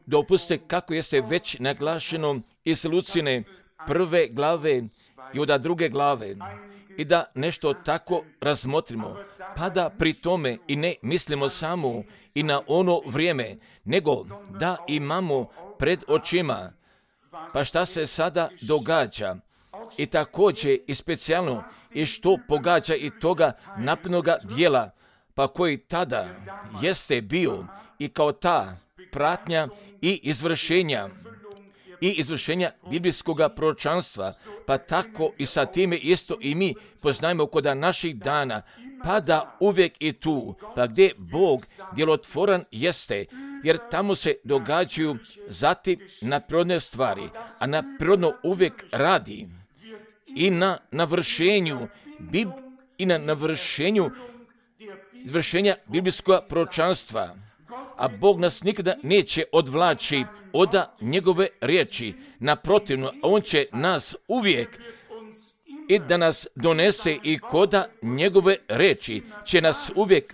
Dopustite, kako jeste već naglašeno iz Lucine 1. glave i od 2. glave, i da nešto tako razmotrimo, pa da pri tome i ne mislimo samo i na ono vrijeme, nego da imamo pred očima, pa šta se sada događa, i također i specijalno i što pogađa i toga naprednoga dijela, pa koji tada jeste bio i kao ta pratnja i izvršenja biblijskog proročanstva, pa tako i sa time isto i mi poznajemo kod naših dana, pa da uvijek i tu, pa gdje Bog djelotvoran jeste, jer tamo se događaju zatim nadprirodne stvari, a nadprirodno uvijek radi i na navršenju izvršenja biblijskog proročanstva. A Bog nas nikada neće odvlači od njegove riječi. Naprotivno, On će nas uvijek i da nas donese i koda njegove riječi će nas uvijek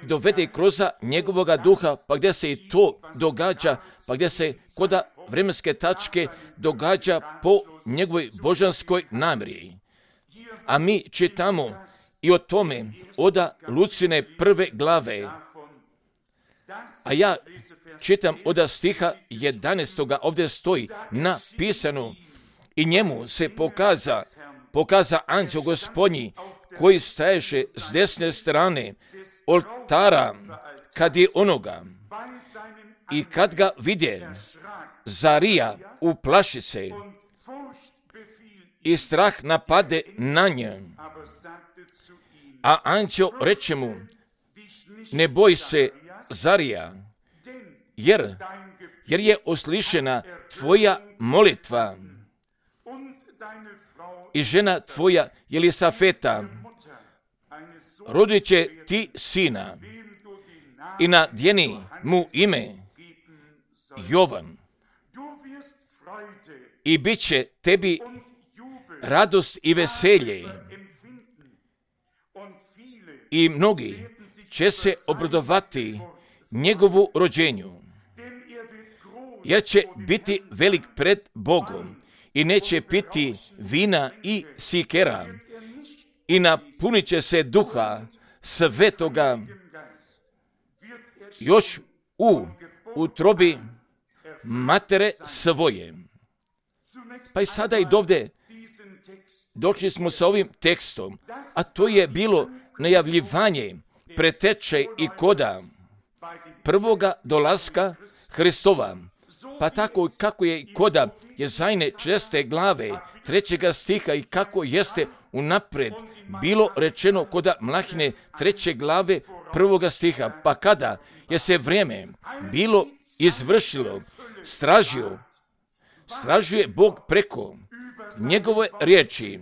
dovede kroz njegovoga duha, pa gdje se i to događa, pa gdje se koda vremenske tačke događa po njegovoj božanskoj namjeri. A mi čitamo i o tome od Lucine 1. glave, a ja čitam od stiha 11. ovdje stoji napisano, i njemu se pokaza anđeo Gospodnji, koji staješe s desne strane oltara kad je onoga, i kad ga vidje, zarija, uplaši se i strah napade na nje. A anđeo reče mu, ne boj se, Zarija, jer je uslišena tvoja molitva i žena tvoja Jelisafeta rodit će ti sina i nadjeni mu ime Jovan, i bit će tebi radost i veselje, i mnogi će se obradovati njegovu rođenju, jer će biti velik pred Bogom i neće piti vina i sikera, i napunit će se duha svetoga još u utrobi matere svoje. Pa i sada i dovde došli smo sa ovim tekstom, a to je bilo najavljivanje preteče i koda prvoga dolaska Hristova. Pa tako kako je koda Jezajne 6. glave 3. stiha i kako jeste unapred bilo rečeno koda Mlahine 3. glave 1. stiha. Pa kada je se vrijeme bilo izvršilo, stražuje Bog preko njegove riječi,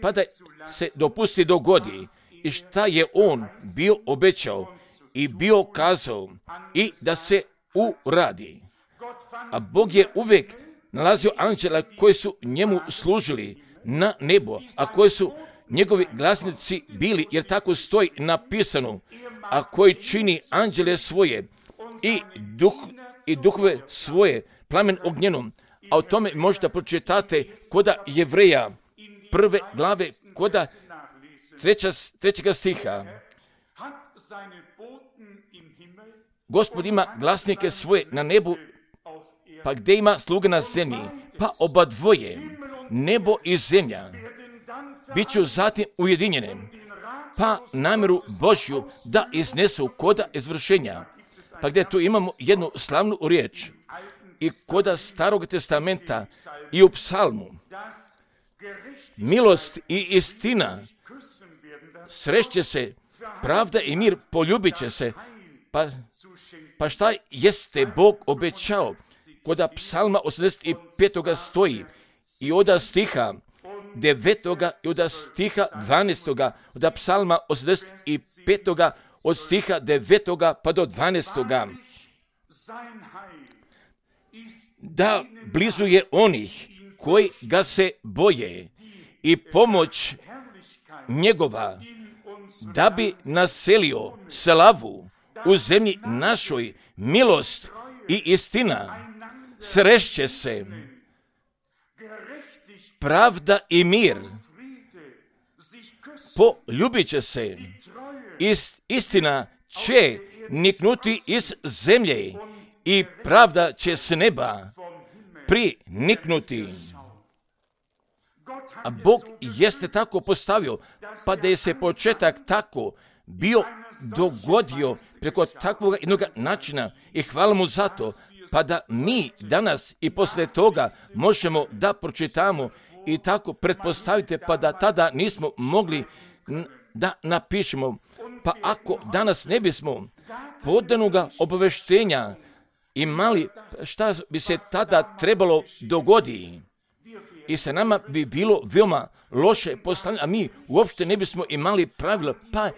pa da se dopusti dogodi i šta je on bio obećao i bio kazao i da se uradi. A Bog je uvijek nalazio anđela koji su njemu služili na nebo, a koji su njegovi glasnici bili, jer tako stoji napisano, a koji čini anđele svoje i duhove svoje plamen ognjenom. A o tome možete pročitate koda Jevreja 1. glave, koda 3. stiha. Gospod ima glasnike svoje na nebu, pa gdje ima sluge na zemlji, pa oba dvoje, nebo i zemlja, bit ću zatim ujedinjene, pa namjeru Božju da iznesu koda izvršenja. Pa gdje tu imamo jednu slavnu riječ i koda Starog testamenta i u psalmu, milost i istina sreće se, pravda i mir poljubit će se. Pa šta jeste Bog obećao? Koda psalma 85. stoji i od stiha 9. i od stiha 12. od psalma 85. od stiha 9. pa do 12. Da blizu je onih koji ga se boje i pomoć njegova da bi naselio slavu u zemlji našoj, milost i istina, srešće se pravda i mir, poljubit će se, istina će niknuti iz zemlje i pravda će s neba priniknuti. A Bog jeste tako postavio, pa da je se početak tako bio dogodio preko takvog jednog načina i hvala mu za to, pa da mi danas i posle toga možemo da pročitamo i tako pretpostavite, pa da tada nismo mogli da napišemo. Pa ako danas ne bismo podanoga obaveštenja imali, šta bi se tada trebalo dogoditi? I sa nama bi bilo veoma loše poslanje, a mi uopšte ne bismo imali pravila, pa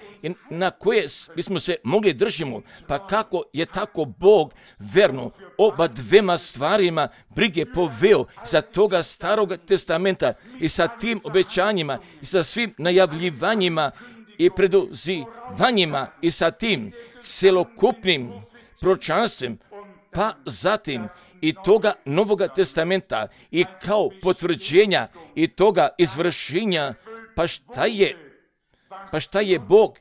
na koje bismo se mogli držimo, pa kako je tako Bog verno oba dvema stvarima brige poveo za toga starog testamenta i sa tim obećanjima i sa svim najavljivanjima i preduzivanjima i sa tim celokupnim proročanstvem, pa zatim i toga Novoga testamenta i kao potvrđenja i toga izvršenja, pa šta je Bog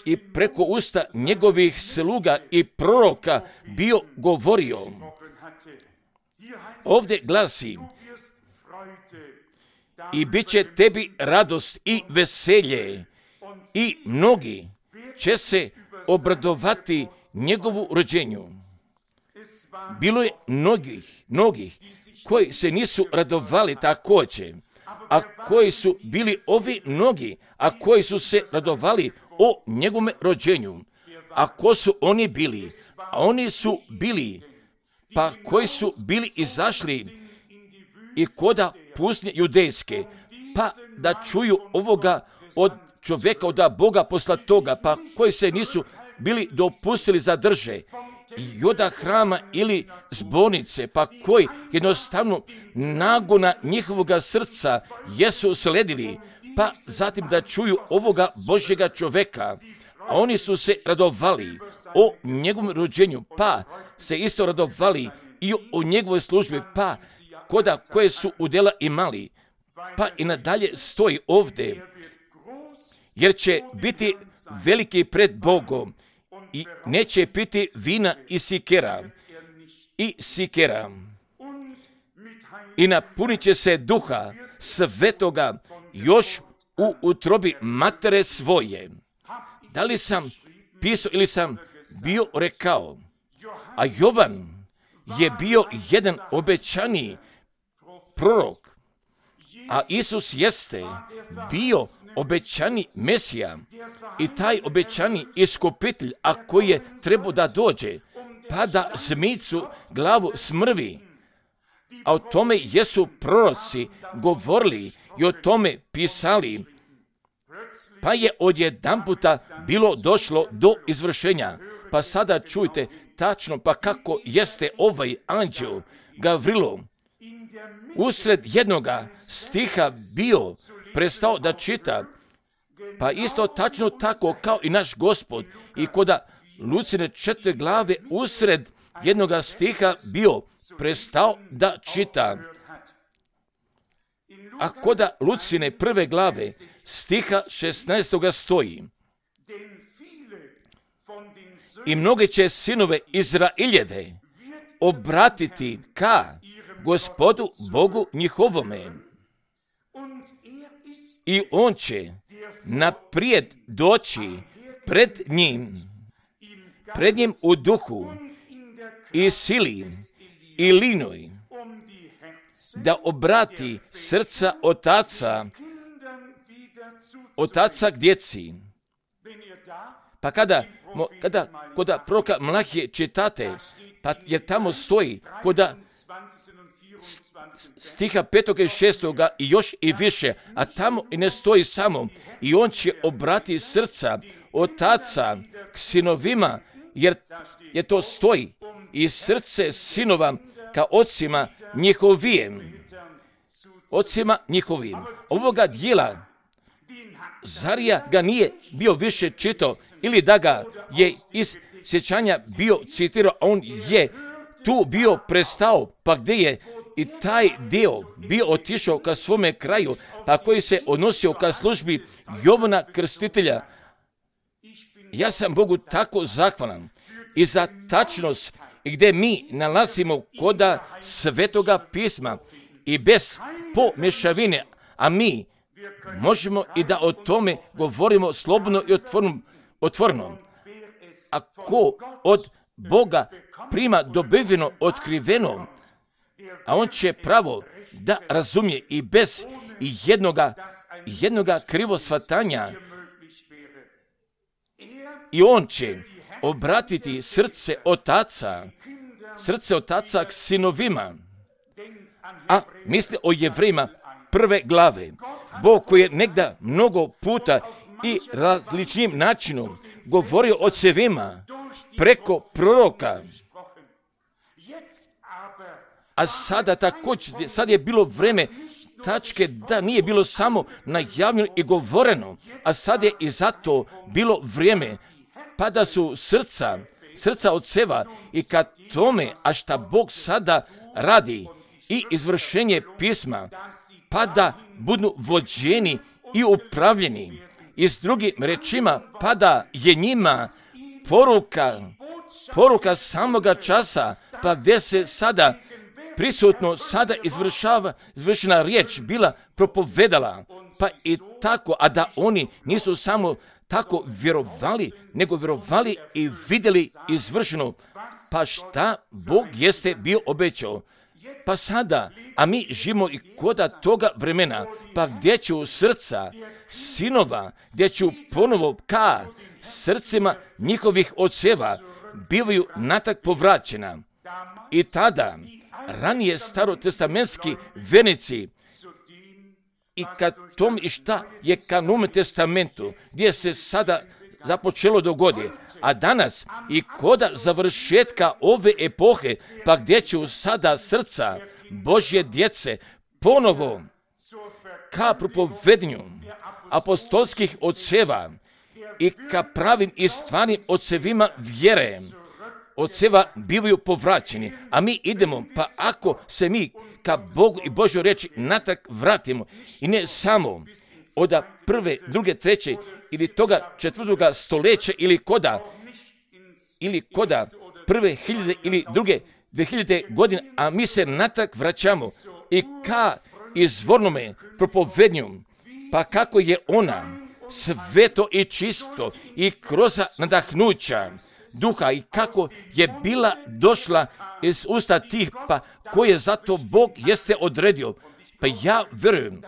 i preko usta njegovih sluga i proroka bio govorio. Ovdje glasi: i bit će tebi radost i veselje i mnogi će se obradovati njegovu rođenju. Bilo je mnogih koji se nisu radovali također, a koji su bili ovi mnogi, a koji su se radovali o njegovom rođenju. A ko su oni bili? A oni su bili, pa koji su bili izašli i koda pustinje judejske, pa da čuju ovoga od čovjeka, od Boga poslatoga, pa koji se nisu bili dopustili zadrže i od hrama ili zbornice, pa koji jednostavno nagona njihovoga srca jesu sledili, pa zatim da čuju ovoga Božjega čovjeka, a oni su se radovali o njegovom rođenju, pa se isto radovali i o njegovoj službi, pa koda koje su udjela imali, pa i nadalje stoji ovdje, jer će biti veliki pred Bogom i neće piti vina i sikera i napunit će se duha svetoga još u utrobi matere svoje. Da li sam pisao ili sam bio rekao? A Jovan je bio jedan obećani prorok, a Isus jeste bio obećani Mesija i taj obećani iskupitelj, a koji je trebao da dođe, pa da zmicu glavu smrvi. A o tome jesu proroci govorili i o tome pisali, pa je odjedanputa bilo došlo do izvršenja. Pa sada čujte tačno, pa kako jeste ovaj anđel Gavrilo usred jednoga stiha bio prestao da čita, pa isto tačno tako kao i naš Gospod i koda Lucine 4 glave usred jednoga stiha bio prestao da čita. A koda Lucine 1 glave stiha 16 stoji: i mnogi će sinove Izraeljeve obratiti ka Gospodu Bogu njihovome, i on će naprijed doći pred njim u duhu i sili i linoj, da obrati srca otaca k djeci. Pa kada koda proroka Malahije čitate, pa jer tamo stoji koda stiha 5. i 6. i još i više, a tamo i ne stoji samo: i on će obrati srca otaca k sinovima, jer to stoji, i srce sinova ka ocima njihovim. Ovoga dijela Zarija ga nije bio više čitao ili da ga je iz sjećanja bio citirao, on je tu bio prestao, pa gdje je i taj dio bio otišao ka svome kraju, pa koji se odnosio ka službi Jovana Krstitelja. Ja sam Bogu tako zahvalan i za tačnost i gdje mi nalazimo koda Svetoga pisma i bez pomješavine, a mi možemo i da o tome govorimo slobodno i otvoreno. Ako od Boga prima dobiveno, otkriveno, a on će pravo da razumije i bez jednoga krivosvatanja, i on će obratiti srce otaca k sinovima. A misli o Jevrejima 1. glave. Bog koji je negda mnogo puta i različnim načinom govorio o cevima preko proroka. A sada također, sad je bilo vreme tačke da nije bilo samo najavljeno i govoreno, a sad je i zato bilo vrijeme pa da su srca od seva i ka tome, a šta Bog sada radi i izvršenje pisma, pa da budu vođeni i upravljeni. I s drugim rečima, pa da je njima poruka samoga časa, pa gdje se sada prisutno sada izvršena riječ bila propovedala, pa i tako, a da oni nisu samo tako vjerovali, nego vjerovali i vidjeli izvršeno, pa šta Bog jeste bio obećao. Pa sada, a mi živimo i koda toga vremena, pa gdje ću srca sinova, gdje ću ponovo ka srcima njihovih oceva bivaju natak povraćena. I tada, ranije starotestamentski vernici i ka tom i šta je ka Novom testamentu, gdje se sada započelo dogodi, a danas i koda završetka ove epohe, pa gdje će sada srca Božje djece ponovo ka propovednju apostolskih oceva i ka pravim i stvarnim ocevima vjere, oceva bivaju povraćeni, a mi idemo, pa ako se mi ka Bogu i Božjoj riječi natrag vratimo, i ne samo od 1., 2., 3. ili toga 4. stoljeća ili koda 1.000 ili 2.000 godine, a mi se natrag vraćamo i ka izvornome propovednju, pa kako je ona sveto i čisto i kroz nadahnuća duha i kako je bila došla iz usta tih, pa koje zato Bog jeste odredio. Pa ja vjerujem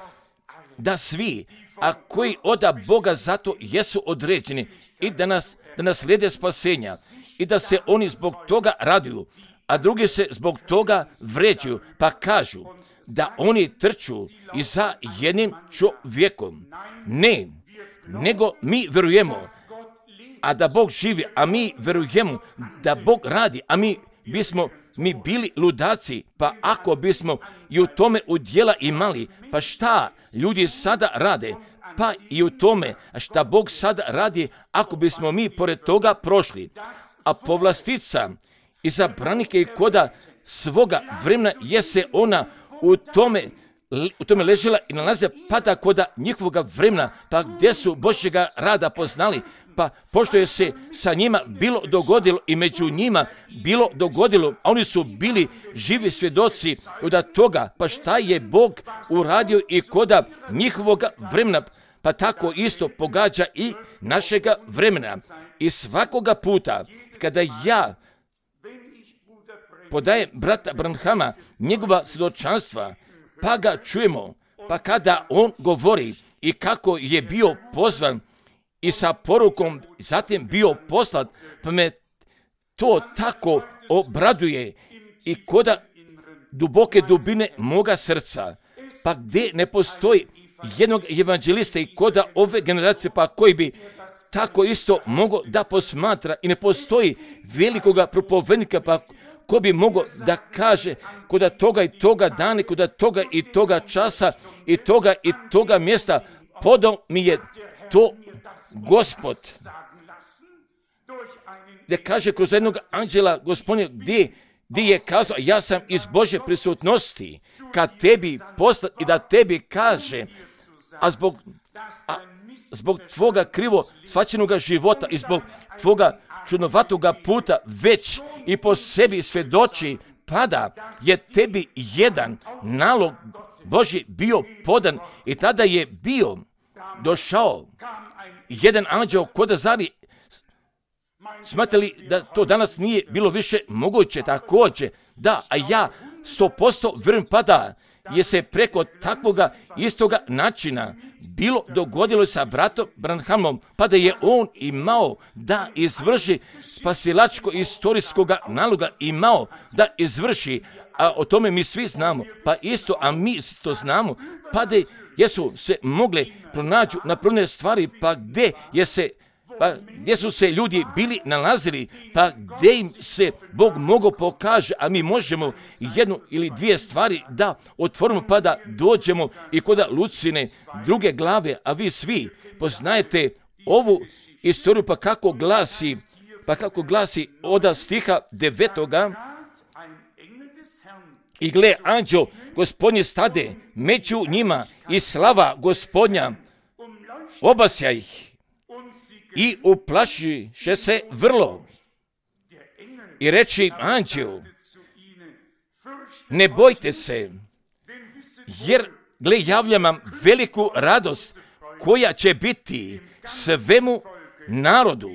da svi, a koji od Boga zato jesu određeni i da nas slijede spasenja i da se oni zbog toga raduju, a drugi se zbog toga vređuju, pa kažu da oni trču i za jednim čovjekom. Ne, nego mi vjerujemo, a da Bog živi, a mi vjerujemo da Bog radi, a mi bili ludaci, pa ako bismo i u tome udjela imali, pa šta ljudi sada rade, pa i u tome šta Bog sada radi, ako bismo mi pored toga prošli. A povlastica i zabranike i koda svoga vremena jese ona u tome ležela i nalaze, pa da koda njihovoga vremena, pa gdje su Božjega rada poznali, pa pošto je se sa njima bilo dogodilo i među njima bilo dogodilo, a oni su bili živi svjedoci od toga, pa šta je Bog uradio i koda njihovoga vremena, pa tako isto pogađa i našega vremena. I svakoga puta kada ja podajem brata Branhama njegova svjedočanstva, pa ga čujemo, pa kada on govori i kako je bio pozvan i sa porukom zatim bio poslat, pa me to tako obraduje i koda duboke dubine moga srca, pa gdje ne postoji jednog evanđelista i koda ove generacije, pa koji bi tako isto mogao da posmatra i ne postoji velikoga propovednika, pa ko bi mogao da kaže koda toga i toga dana, koda toga i toga časa i toga mjesta podao mi je to Gospod, da kaže kroz jednog anđela Gospodnje, gdje je kazao, ja sam iz Božje prisutnosti ka tebi poslat i da tebi kaže, a zbog tvoga krivo shvaćenoga života i zbog tvoga čudnovatoga puta već i po sebi svjedoči, pada je tebi jedan nalog Božji bio podan i tada je bio došao jedan anđeo koda zari. Smatrali da to danas nije bilo više moguće, također, da, a ja 100% vjerujem pa da je se preko takvoga istoga načina bilo dogodilo sa bratom Branhamom, pa da je on imao da izvrši spasilačko istorijskoga naloga, imao da izvrši, a o tome mi svi znamo, pa isto, a mi isto znamo, pa da jesu se mogle pronađu napravljene stvari, pa gdje su se ljudi bili nalazili, pa gdje im se Bog mogao pokaže, a mi možemo jednu ili dvije stvari da otvorimo pa da dođemo i kod Lucine druge glave, a vi svi poznajete ovu istoriju pa kako glasi od stiha 9. I gle, anđeo Gospodnji stade među njima i slava Gospodnja obasja ih. I uplašiše se vrlo. I reči anđelu, ne bojte se, jer gle javljam vam veliku radost koja će biti svemu narodu.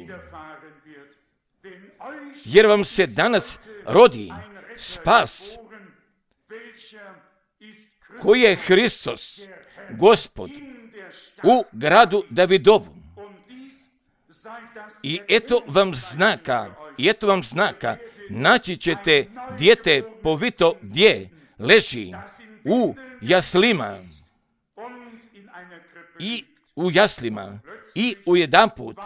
Jer vam se danas rodi spas, koji je Hristos, Gospod, u gradu Davidovu. I eto vam znaka, naći ćete dijete povito gdje leži u jaslima i ujedanput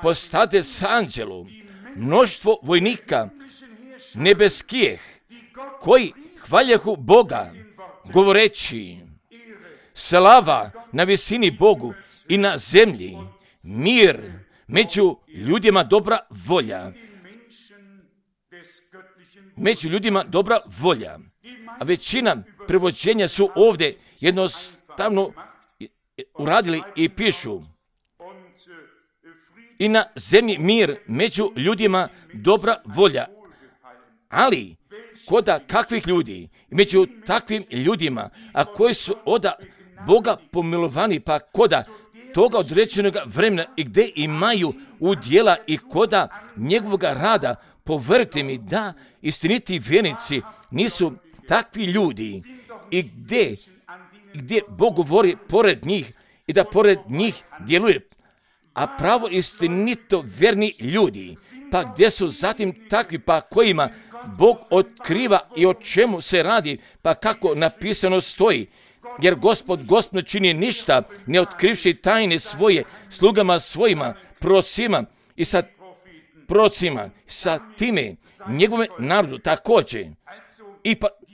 postade s anđelom mnoštvo vojnika nebeskijeh koji hvaljahu Boga govoreći slava na visini Bogu i na zemlji mir među ljudima dobra volja. A većina prevođenja su ovdje jednostavno uradili i pišu i na zemlji mir među ljudima dobra volja. Ali koda kakvih ljudi, među takvim ljudima, a koji su od Boga pomilovani, pa koda toga određenog vremena i gdje imaju udjela i koda njegovog rada, povjerujte mi da istiniti vjernici nisu takvi ljudi i gdje Bog govori pored njih i da pored njih djeluje, a pravo istinito vjerni ljudi, pa gdje su zatim takvi, pa kojima Bog otkriva i o čemu se radi, pa kako napisano stoji. Jer Gospod ne čini ništa, ne otkrivši tajne svoje slugama svojima, prorocima sa time njegove narodu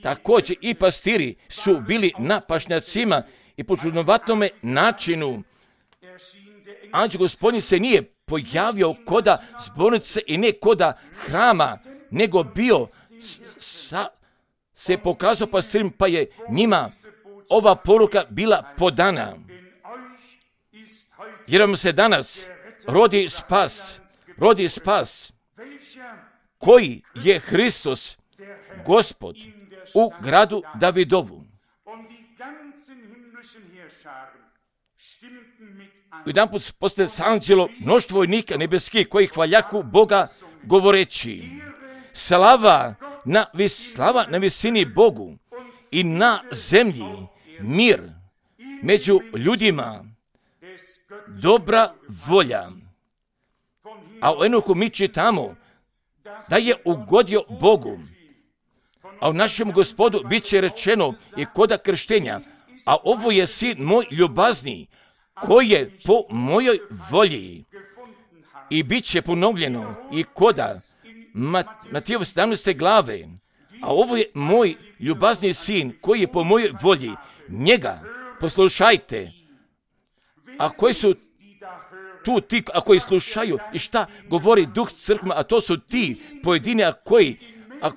također i pastiri su bili na pašnjacima i po čudnovatome načinu. Anđeo Gospodnji se nije pojavio koda zbornice i ne koda hrama, nego bio se pokazao pastirima, pa je njima ova poruka bila podana. Jer vam se danas rodi spas, koji je Hristos, Gospod, u gradu Davidovu. Jedanput postaje s anđelom mnoštvo vojnika nebeskih koji hvaljahu Boga govoreći slava na visini Bogu i na zemlji mir među ljudima dobra volja. A u Enohu mi čitamo da je ugodio Bogu, a u našem Gospodu bit će rečeno i koda krštenja, a ovo je sin moj ljubazni, koji je po mojoj volji. I bit će ponovljeno i koda Matijeva 17. glave, a ovo je moj ljubazni sin, koji je po mojoj volji. Njega poslušajte. A koji su tu ti koji slušaju i šta govori Duh crkva, a to su ti pojedini, a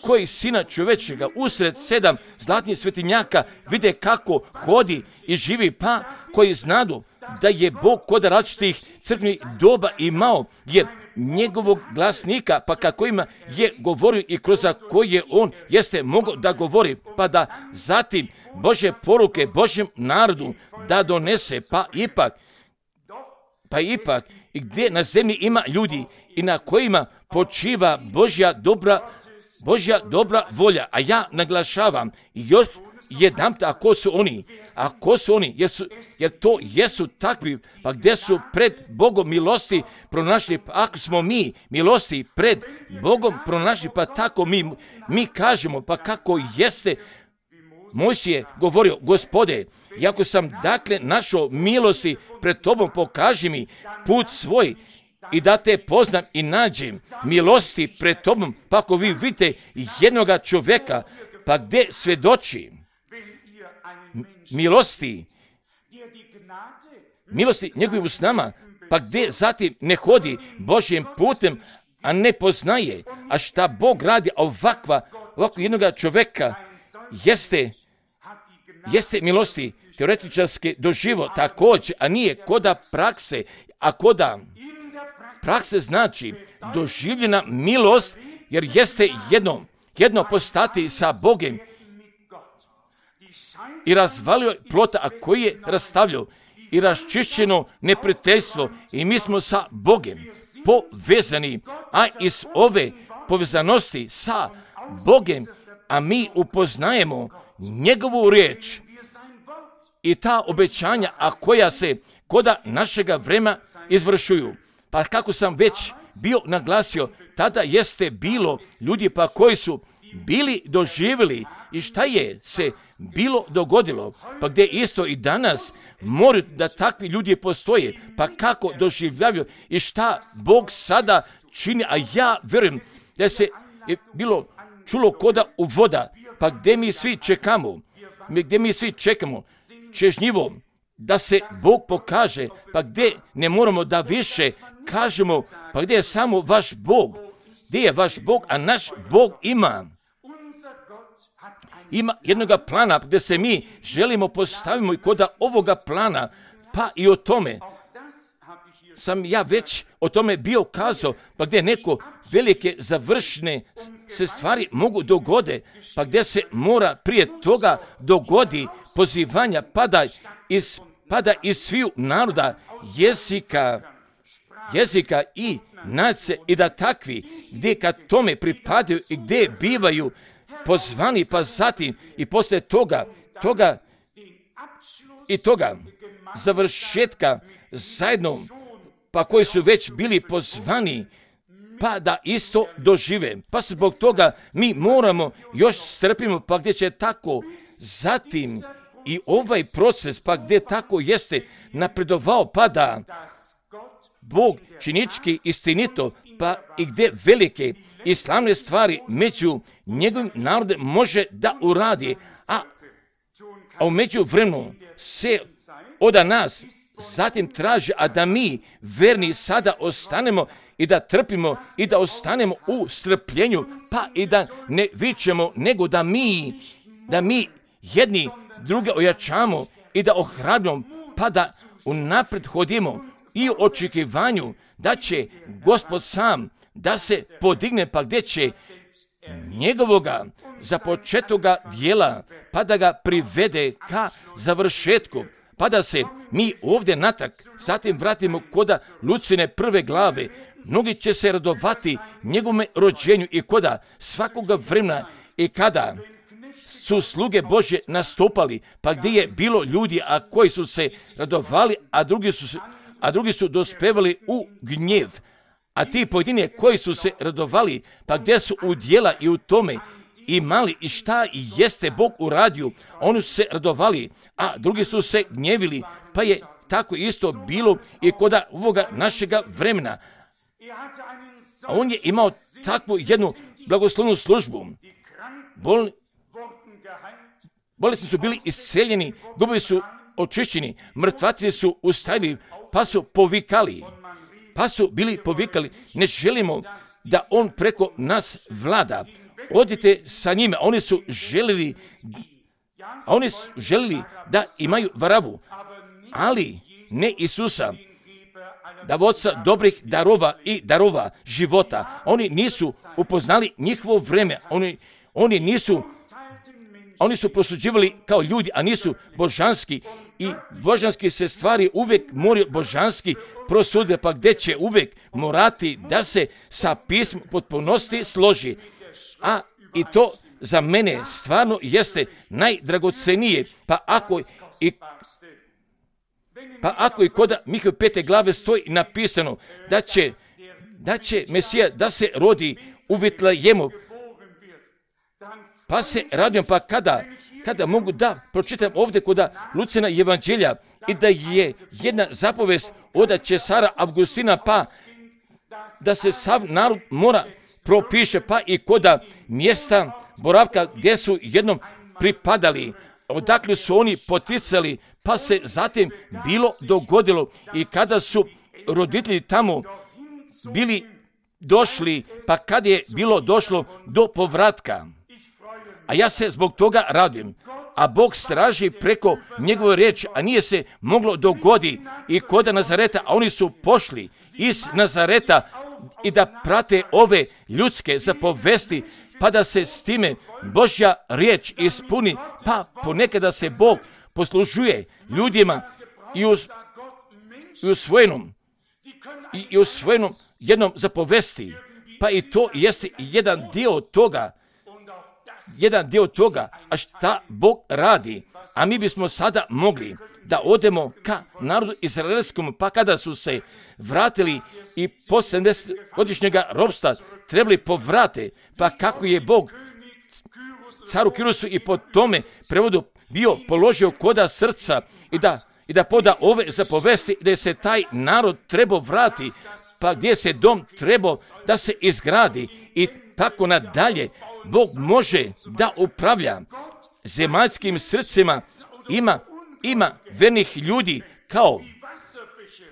koji Sina čovečega usred 7 zlatnih svetinjaka vide kako hodi i živi, pa koji znadu da je Bog kod različitih crkvenih doba imao je njegovog glasnika, pa kako ima je govorio i kroz koje on jeste mogao da govori, pa da zatim Božje poruke Božjem narodu da donese, pa ipak i gdje na zemlji ima ljudi i na kojima počiva Božja dobra volja. A ja naglašavam još jedanput, ako su oni, jer to jesu takvi, pa gdje su pred Bogom milosti pronašli, pa ako smo mi milosti pred Bogom pronašli, pa tako mi kažemo, pa kako jeste Mojsije govorio, Gospode, iako sam dakle našao milosti pred tobom, pokaži mi put svoj i da te poznam i nađem milosti pred tobom, pa ako vi vidite jednoga čovjeka, pa gdje svjedoči milosti njegovim usnama, pa gdje zatim ne hodi Božjim putem, a ne poznaje, a šta Bog radi ovako jednoga čovjeka, jeste milosti teoretičarske doživo također, a nije koda prakse, a koda prakse znači doživljena milost, jer jeste jedno postati sa Bogom i razvalio plota, a koji je rastavljao i raščišćeno neprijateljstvo i mi smo sa Bogom povezani, a iz ove povezanosti sa Bogom, a mi upoznajemo njegovu riječ i ta obećanja, a koja se koda našega vremena izvršuju. Pa kako sam već bio naglasio, tada jeste bilo ljudi pa koji su bili doživjeli i šta je se bilo dogodilo, pa gdje isto i danas moraju da takvi ljudi postoje, pa kako doživljavaju i šta Bog sada čini, a ja vjerujem da se je bilo čulo koda u voda, pa gdje mi svi čekamo čežnjivo da se Bog pokaže, pa gdje ne moramo da više kažemo, pa gdje je samo vaš Bog, gdje je vaš Bog, a naš Bog ima jednoga plana gdje se mi želimo postavimo i koda ovoga plana, pa i o tome sam ja već o tome bio kazao, pa gdje neko velike završne se stvari mogu dogode, pa gdje se mora prije toga dogodi pozivanja pada iz sviju naroda, jezika i nacije, i da takvi gdje kad tome pripadaju i gdje bivaju pozvani, pa zatim i poslije toga završetka zajedno, pa koji su već bili pozvani, pa da isto dožive. Pa zbog toga mi moramo još strpimo, pa gdje će tako zatim i ovaj proces, pa gdje tako jeste napredovao, pa da Bog činički istinito, pa i gdje velike i slavne stvari među njegovim narodom može da uradi, a u međuvremenu se od nas zatim traži, a da mi verni sada ostanemo i da trpimo i da ostanemo u strpljenju, pa i da ne vičemo, nego da mi jedni druge ojačamo i da ohrabrimo, pa da unaprijed hodimo i u očekivanju da će Gospod sam da se podigne, pa gdje će njegovoga započetoga dijela, pa da ga privede ka završetku, pa da se mi ovdje natrag zatim vratimo koda Lucine prve glave. Mnogi će se radovati njegovome rođenju i koda svakoga vremena i kada su sluge Božje nastupali, pa gdje je bilo ljudi a koji su se radovali, a drugi su dospevali u gnjev. A ti pojedini koji su se radovali, pa gdje su u djela i u tome imali i šta i jeste Bog uradio, oni su se radovali, a drugi su se gnjevili, pa je tako isto bilo i kod ovoga našega vremena. A on je imao takvu jednu blagoslovnu službu. Bolesni su bili isceljeni, gubovi su očišćeni, mrtvaci su ustajili, pa su povikali. pa su bili povikali, ne želimo da on preko nas vlada. Odite sa njima. Oni su želili da imaju Varabu, ali ne Isusa, davaoca dobrih darova i darova života. Oni nisu upoznali njihovo vreme. Oni su prosuđivali kao ljudi, a nisu božanski. I božanski se stvari uvijek moraju božanski prosuditi, pa gdje će uvijek morati da se sa pismom potpunosti složi. A i to za mene stvarno jeste najdragocenije. Pa ako i kod Mihajlove 5. glave stoji napisano da će Mesija da se rodi u Vitlejemu, pa se radujem, pa kada mogu da pročitam ovdje kod Lucina evanđelja i da je jedna zapovest od Cesara Avgustina, pa da se sav narod mora propiše, pa i kod mjesta boravka gdje su jednom pripadali, odakle su oni poticali, pa se zatim bilo dogodilo i kada su roditelji tamo bili došli, pa kad je bilo došlo do povratka. A ja se zbog toga radujem. A Bog straži preko njegove riječi, a nije se moglo dogoditi i kod Nazareta, a oni su pošli iz Nazareta i da prate ove ljudske zapovesti, pa da se s time Božja riječ ispuni, pa ponekada se Bog poslužuje ljudima i usvojenom jednom zapovesti, pa i to jeste jedan dio toga, a šta Bog radi. A mi bismo sada mogli da odemo ka narodu izraelskom, pa kada su se vratili i posle 70-godišnjega ropstva trebali povrate, pa kako je Bog caru Kirusu i po tome prevodu bio položio koda srca i da poda ove zapovesti, da se taj narod trebao vrati, pa gdje se dom trebao da se izgradi i tako nadalje. Bog može da upravlja zemaljskim srcima. Ima vernih ljudi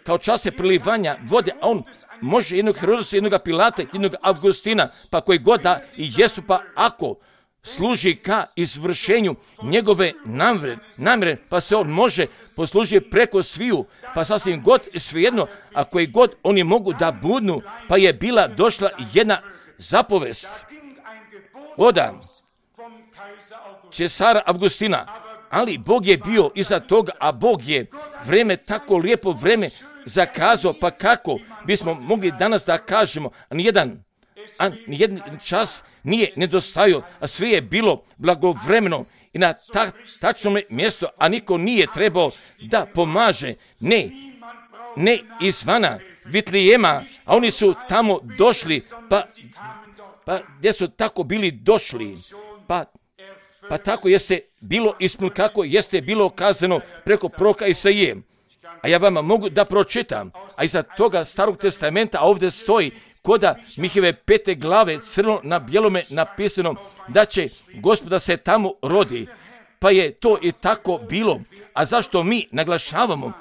kao čase prilivanja vode, a on može jednog Herodosa, jednog Pilata, jednog Avgustina, pa koji god da i jesu, pa ako služi ka izvršenju njegove namjere, pa se on može poslužiti preko sviju, pa sasvim god svejedno, a koji god oni mogu da budnu, pa je bila došla jedna zapovest od Cesara Avgustina, ali Bog je bio iza toga, a Bog je vreme, tako lijepo vreme zakazao, pa kako bismo mogli danas da kažemo, nijedan čas nije nedostajao, a sve je bilo blagovremeno i na tačnom mjestu, a niko nije trebao da pomaže, ne izvana Vitlejema, a oni su tamo došli, pa gdje su tako bili došli, pa tako jeste bilo ispuno kako jeste bilo kazano preko proroka Isaije. A ja vama mogu da pročitam, a iza toga Starog testamenta, a ovdje stoji koda Mihajlove 5. glave crno na bijelome napisano da će Gospoda se tamo rodi. Pa je to i tako bilo. A zašto mi naglašavamo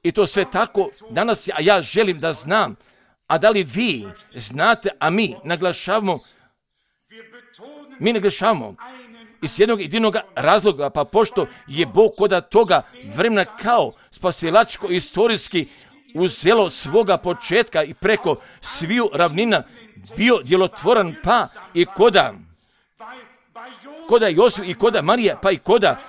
i to sve tako danas, a ja želim da znam, a da li vi znate, a mi naglašavamo iz jednog jedinog razloga, pa pošto je Bog koda toga vremena kao spasilačko istorijski uzelo svoga početka i preko sviju ravnina bio djelotvoran, pa i koda Josip i koda Marija, pa i koda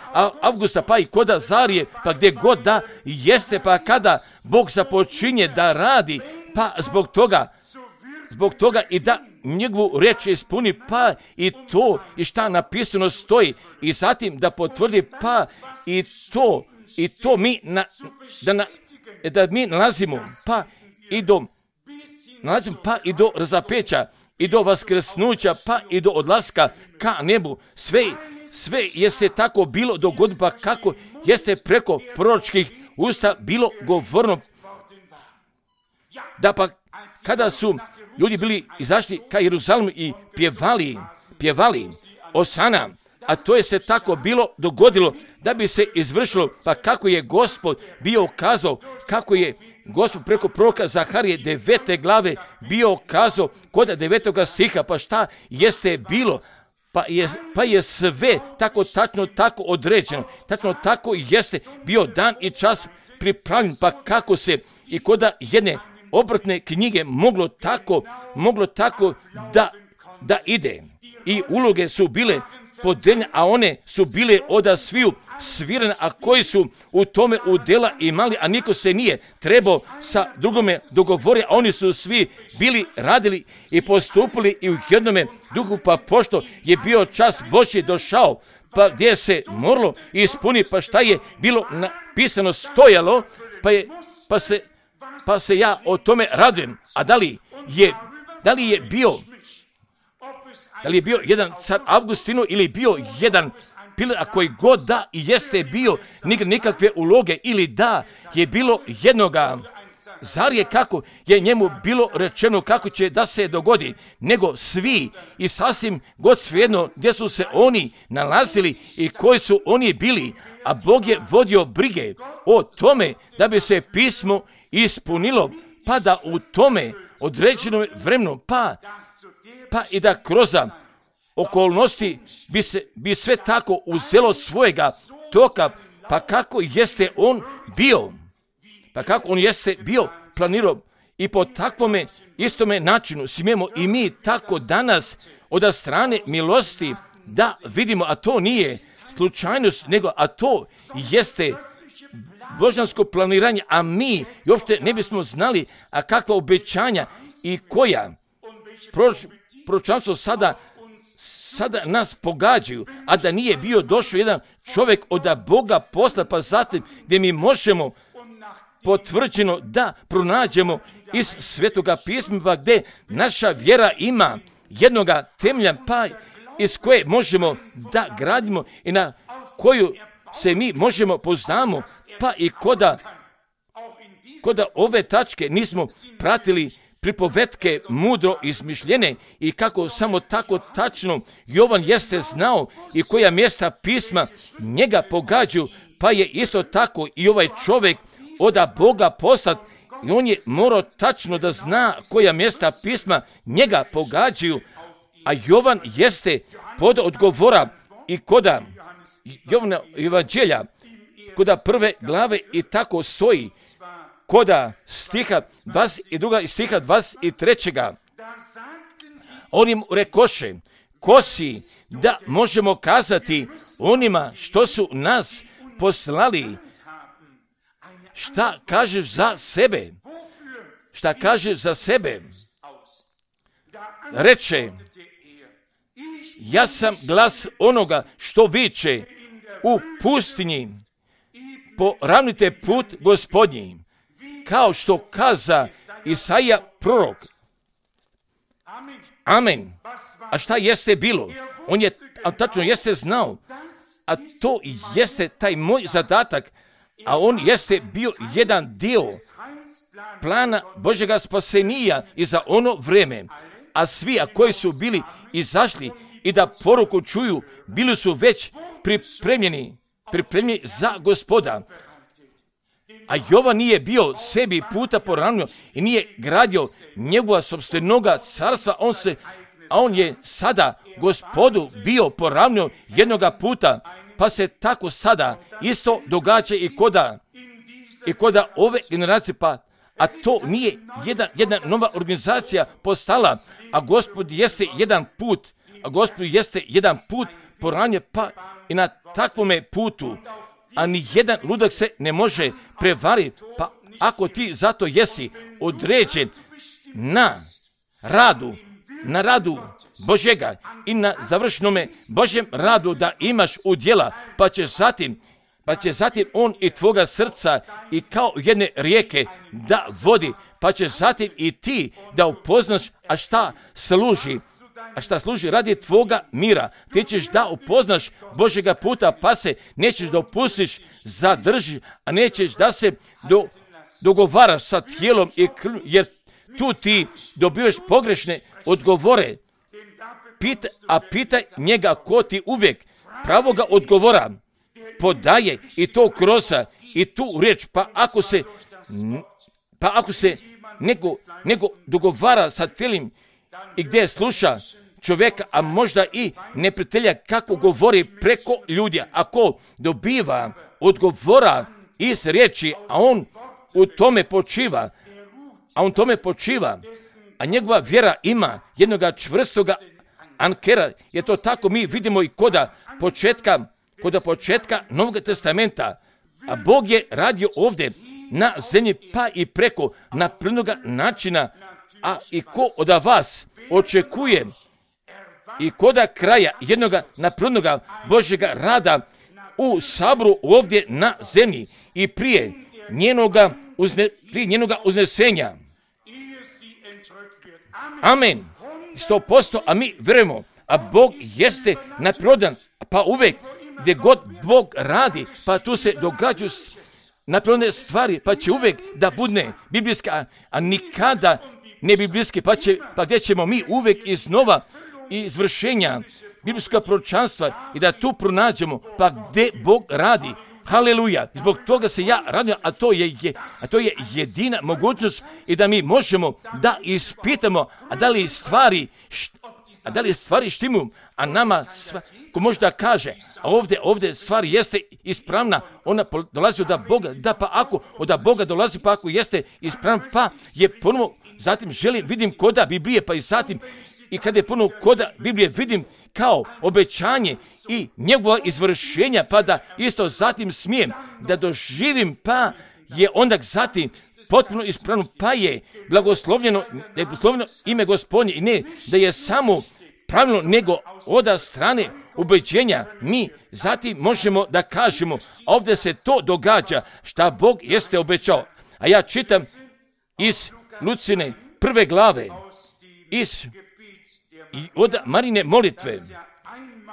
Avgusta, pa i koda Zarije, pa gdje god da jeste, pa kada Bog započinje da radi, pa zbog toga i da njegovu riječ ispuni, pa i to i šta napisano stoji i zatim da potvrdi, pa i to mi da mi nalazimo, pa i do razapeća i do vaskrsnuća, pa i do odlaska ka nebu. Sve je se tako bilo dogodilo, pa kako jeste preko proročkih usta bilo govorno, da pa kada su ljudi bili izašli ka Jeruzalemu i pjevali Osana, a to je se tako bilo dogodilo da bi se izvršilo, pa kako je Gospod bio ukazao, kako je Gospod preko proroka Zaharije 9. glave bio kazao kod 9. stiha, pa šta jeste bilo? Pa je sve tako tačno, tako određeno, tačno tako jeste bio dan i čas pripravljen, pa kako se i kod jedne obrtne knjige moglo tako da ide. I uloge su bile podeljene, a one su bile od sviju svirane, a koji su u tome udjela imali, a niko se nije trebao sa drugome dogovoriti, a oni su svi bili radili i postupili i u jednome duhu, pa pošto je bio čas Božji došao, pa gdje se moralo ispuni, pa šta je bilo napisano stojalo, pa se ja o tome radujem. A da li je bio jedan car Avgustinu ili bio jedan Pilat, a koji god da i jeste bio nikakve uloge, ili da je bilo jednoga, zar je kako je njemu bilo rečeno kako će da se dogodi, nego svi i sasvim god svejedno gdje su se oni nalazili i koji su oni bili, a Bog je vodio brige o tome da bi se pismo ispunilo, pa da u tome određenom vremenu, pa i da kroz okolnosti bi sve tako uzelo svojega toka, pa kako on jeste bio planirao, i po takvome istome načinu smijemo i mi tako danas od strane milosti da vidimo, a to nije slučajnost, a to jeste božansko planiranje, a mi uopšte ne bismo znali a kakva obećanja i koja proročanstvo sada nas pogađaju, a da nije bio došao jedan čovjek od Boga posla, pa zatim gdje mi možemo potvrđeno da pronađemo iz Svetoga pisma, gdje naša vjera ima jednoga temelja, pa iz koje možemo da gradimo i na koju se mi možemo poznamo, pa i koda ove tačke nismo pratili pripovetke mudro izmišljene i kako samo tako tačno Jovan jeste znao i koja mjesta pisma njega pogađaju, pa je isto tako i ovaj čovjek od Boga poslat i on je morao tačno da zna koja mjesta pisma njega pogađaju, a Jovan jeste pod odgovora i koda Jovana evanđelja, koda 1. glave i tako stoji, koda stiha 22. i stiha 23. Oni mu rekoše, ko si da možemo kazati onima što su nas poslali, šta kažeš za sebe? Šta kažeš za sebe? Reče, ja sam glas onoga što viče u pustinji, poravnite put Gospodnji, kao što kaza Isaija prorok. Amen. A šta jeste bilo? On je tačno jeste znao, a to jeste taj moj zadatak, a on jeste bio jedan dio plana Božjega spasenija i za ono vreme, a svi koji su bili izašli i da poruku čuju, bili su već pripremljeni za Gospoda. A Jovan nije bio sebi puta poravnio i nije gradio njegova sopstvenoga carstva, a on je sada Gospodu bio poravnio jednoga puta, pa se tako sada isto događa i koda ove generacije, a to nije jedna nova organizacija postala, a Gospod jeste jedan put poravnio, pa i na takvome putu, a ni jedan ludak se ne može prevariti, pa ako ti zato jesi određen na radu Božjega i na završnome Božjem radu da imaš udjela, pa će zatim on i tvoga srca i kao jedne rijeke da vodi, pa će zatim i ti da upoznaš a šta služi radi tvoga mira. Ti ćeš da upoznaš Božjega puta, pa se nećeš da opustiš, zadržiš, a nećeš da se dogovaraš sa tijelom i jer tu ti dobivaš pogrešne odgovore. Pitaj njega ko ti uvijek pravoga odgovora podaje i to kroz i tu riječ, pa Pa ako se nego dogovara sa tijelim i gdje sluša čovjeka, a možda i neprijatelja kako govori preko ljudi, ako dobiva odgovora iz riječi, a on u tome počiva, a njegova vjera ima jednoga čvrstoga ankera, je to tako mi vidimo i kod početka Novog testamenta, a Bog je radio ovdje na zemlji pa i preko naplnoga načina, a i ko od vas očekuje i koda kraja jednoga naplnoga Božjega rada u saboru ovdje na zemlji i prije njenoga uznesenja. Amen. 100%, a mi vjerujemo, a Bog jeste naprirodan, pa uvijek gdje god Bog radi, pa tu se događaju naprirodne stvari, pa će uvijek da bude biblijska, a nikada ne biblijske, pa gdje ćemo mi uvijek iznova izvršenja biblijskog proročanstva i da tu pronađemo, pa gdje Bog radi. Haleluja, zbog toga se ja radim, a to je jedina mogućnost i da mi možemo da ispitamo, a da li stvari štimu, a nama ko možda kaže, a ovdje stvar jeste ispravna, ona dolazi od Boga, da pa ako od Boga dolazi, pa ako jeste ispravna, pa je ponovo, zatim vidim koda Biblije, pa i zatim, i kada je ponovo koda Biblije vidim kao obećanje i njegova izvršenja, pa da isto zatim smijem da doživim, pa je onda zatim potpuno ispravno, pa je blagoslovljeno ime Gospodnje i ne da je samo pravilno, nego od strane ubeđenja mi zatim možemo da kažemo, ovdje se to događa šta Bog jeste obećao. A ja čitam iz Lucine 1. glave, od Marine molitve,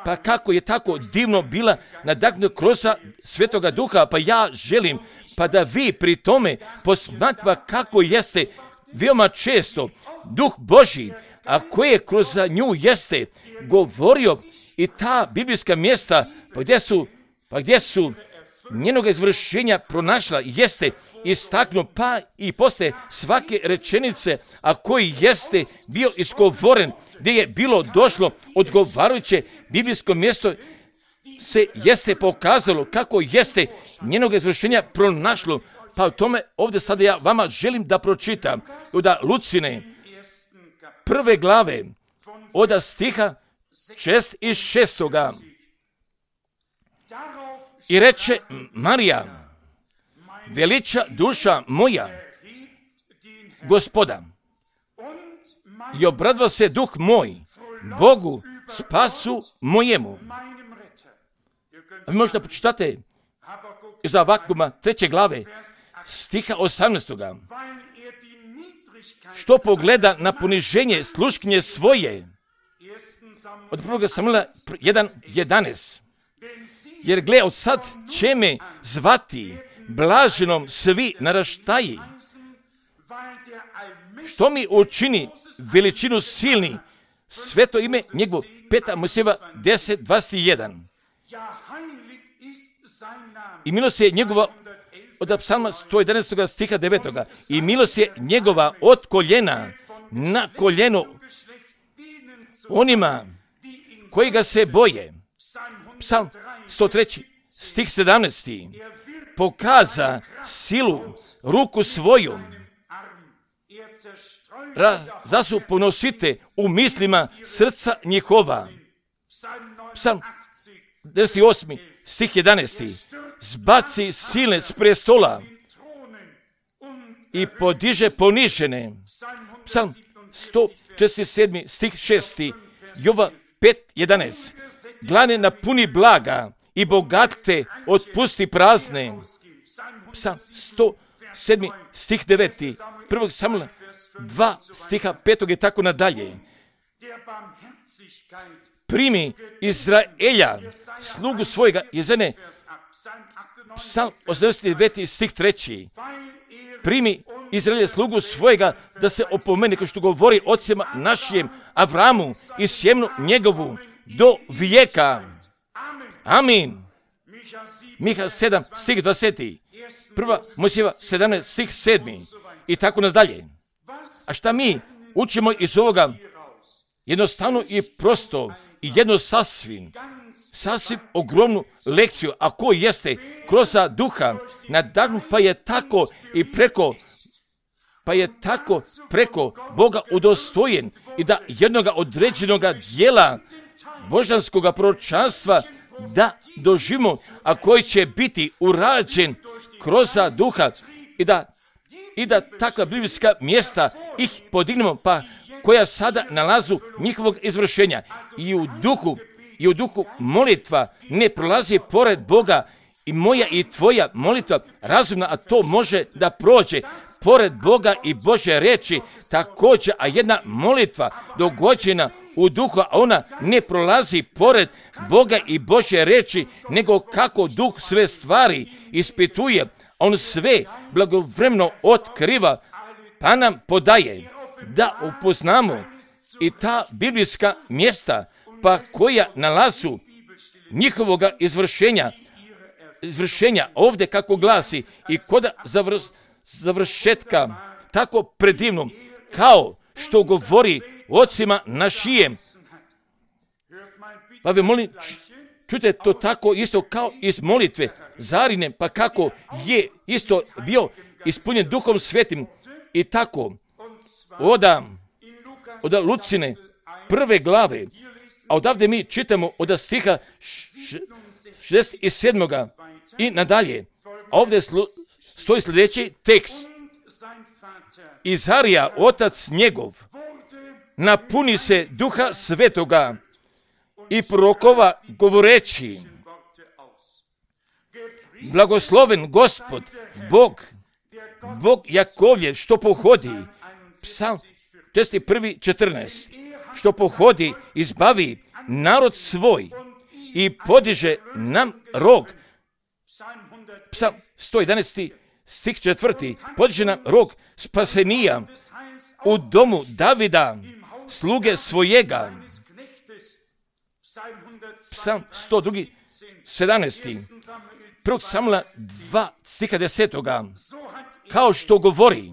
pa kako je tako divno bila nadahnuta kroz Svetoga Duha, pa ja želim pa da vi pri tome posmatrate kako jeste veoma često Duh Božji, a koje kroz nju jeste govorio i ta biblijska mjesta, pa gdje su njenoga izvršenja pronašla, jeste istaknuo, pa i posle svake rečenice, a koji jeste bio izgovoren, gdje je bilo došlo odgovarajuće biblijsko mjesto, se jeste pokazalo kako jeste njenoga izvršenja pronašlo. Pa u tome ovdje sada ja vama želim da pročitam od Lucine 1. glave od stiha 6 i 6. I reče Marija, veliča duša moja Gospoda i obradva se duh moj Bogu spasu mojemu. Vi možete pročitate iz Havakuma 3. glave stiha 18. Što pogleda na poniženje sluškinje svoje od 1. Samuela 1.11. Jer gle, od sad će me zvati blaženom svi naraštaji. Što mi učini veličinu silni, sveto ime njegovo. 5. Mojsijeva 10.21. I milost je njegova od Psalma 111. stiha 9. I milost je njegova od koljena na koljeno onima koji ga se boje. Psalm 103. stih 17. Pokaza silu ruku svoju. Zasu ponosite u mislima srca njihova. Psalm 98. stih 11. Zbaci silne s prestola i podiže ponižene. Psalm 147. stih 6. Jova 5.11. Glane napuni blaga i bogate otpusti prazne. Psalm 107. stih 9. 1. Samuela 2 stiha 5. i tako nadalje. Primi Izraelja, slugu svojega jezene. Psalm 89. stih 3. Primi Izraelja, slugu svojega, da se opomene, kao što govori ocima našim Avramu i sjemnu njegovu do vijeka. Amin. Miha 7 stih 20. 1. Mojsijeva 17 stih 7. i tako nadalje. A šta mi učimo iz ovoga? Jednostavno i prosto i jedno sasvim ogromnu lekciju, a ko jeste kroz duha nadahnut, pa je tako preko Boga udostojen i da jednoga određenoga dijela božanskog proročanstva da doživimo, a koji će biti urađen kroz duha i da takva biblijska mjesta ih podignemo, pa koja sada nalazu njihovog izvršenja i u duhu molitva ne prolazi pored Boga i moja i tvoja molitva razumna, a to može da prođe pored Boga i Božje reči također, a jedna molitva dogođena u duhu, a ona ne prolazi pored Boga i Božje reči, nego kako duh sve stvari ispituje, on sve blagovremeno otkriva, pa nam podaje da upoznamo i ta biblijska mjesta, pa koja nalazu njihovoga izvršenja ovdje kako glasi i kod završetka tako predivnom, kao što govori ocima našijem. Pa vi molim, čujte to tako isto kao iz molitve Zarine, pa kako je isto bio ispunjen Duhom Svetim i tako od Lucine prve glave, a odavde mi čitamo od stiha 67. i nadalje. A ovdje stoji sljedeći tekst. Izarija, otac njegov, napuni se Duha Svetoga i prorokova govoreći: blagosloven Gospod, Bog Jakovljev, što pohodi, Psalm 61:14, što pohodi, izbavi narod svoj i podiže nam rog. Psalm 111. stih 4. Podiže nam rog spasenija u domu Davida, sluge svojega. Psalm 102. 17. 1. Samuela 2. stiha 10. Kao što govori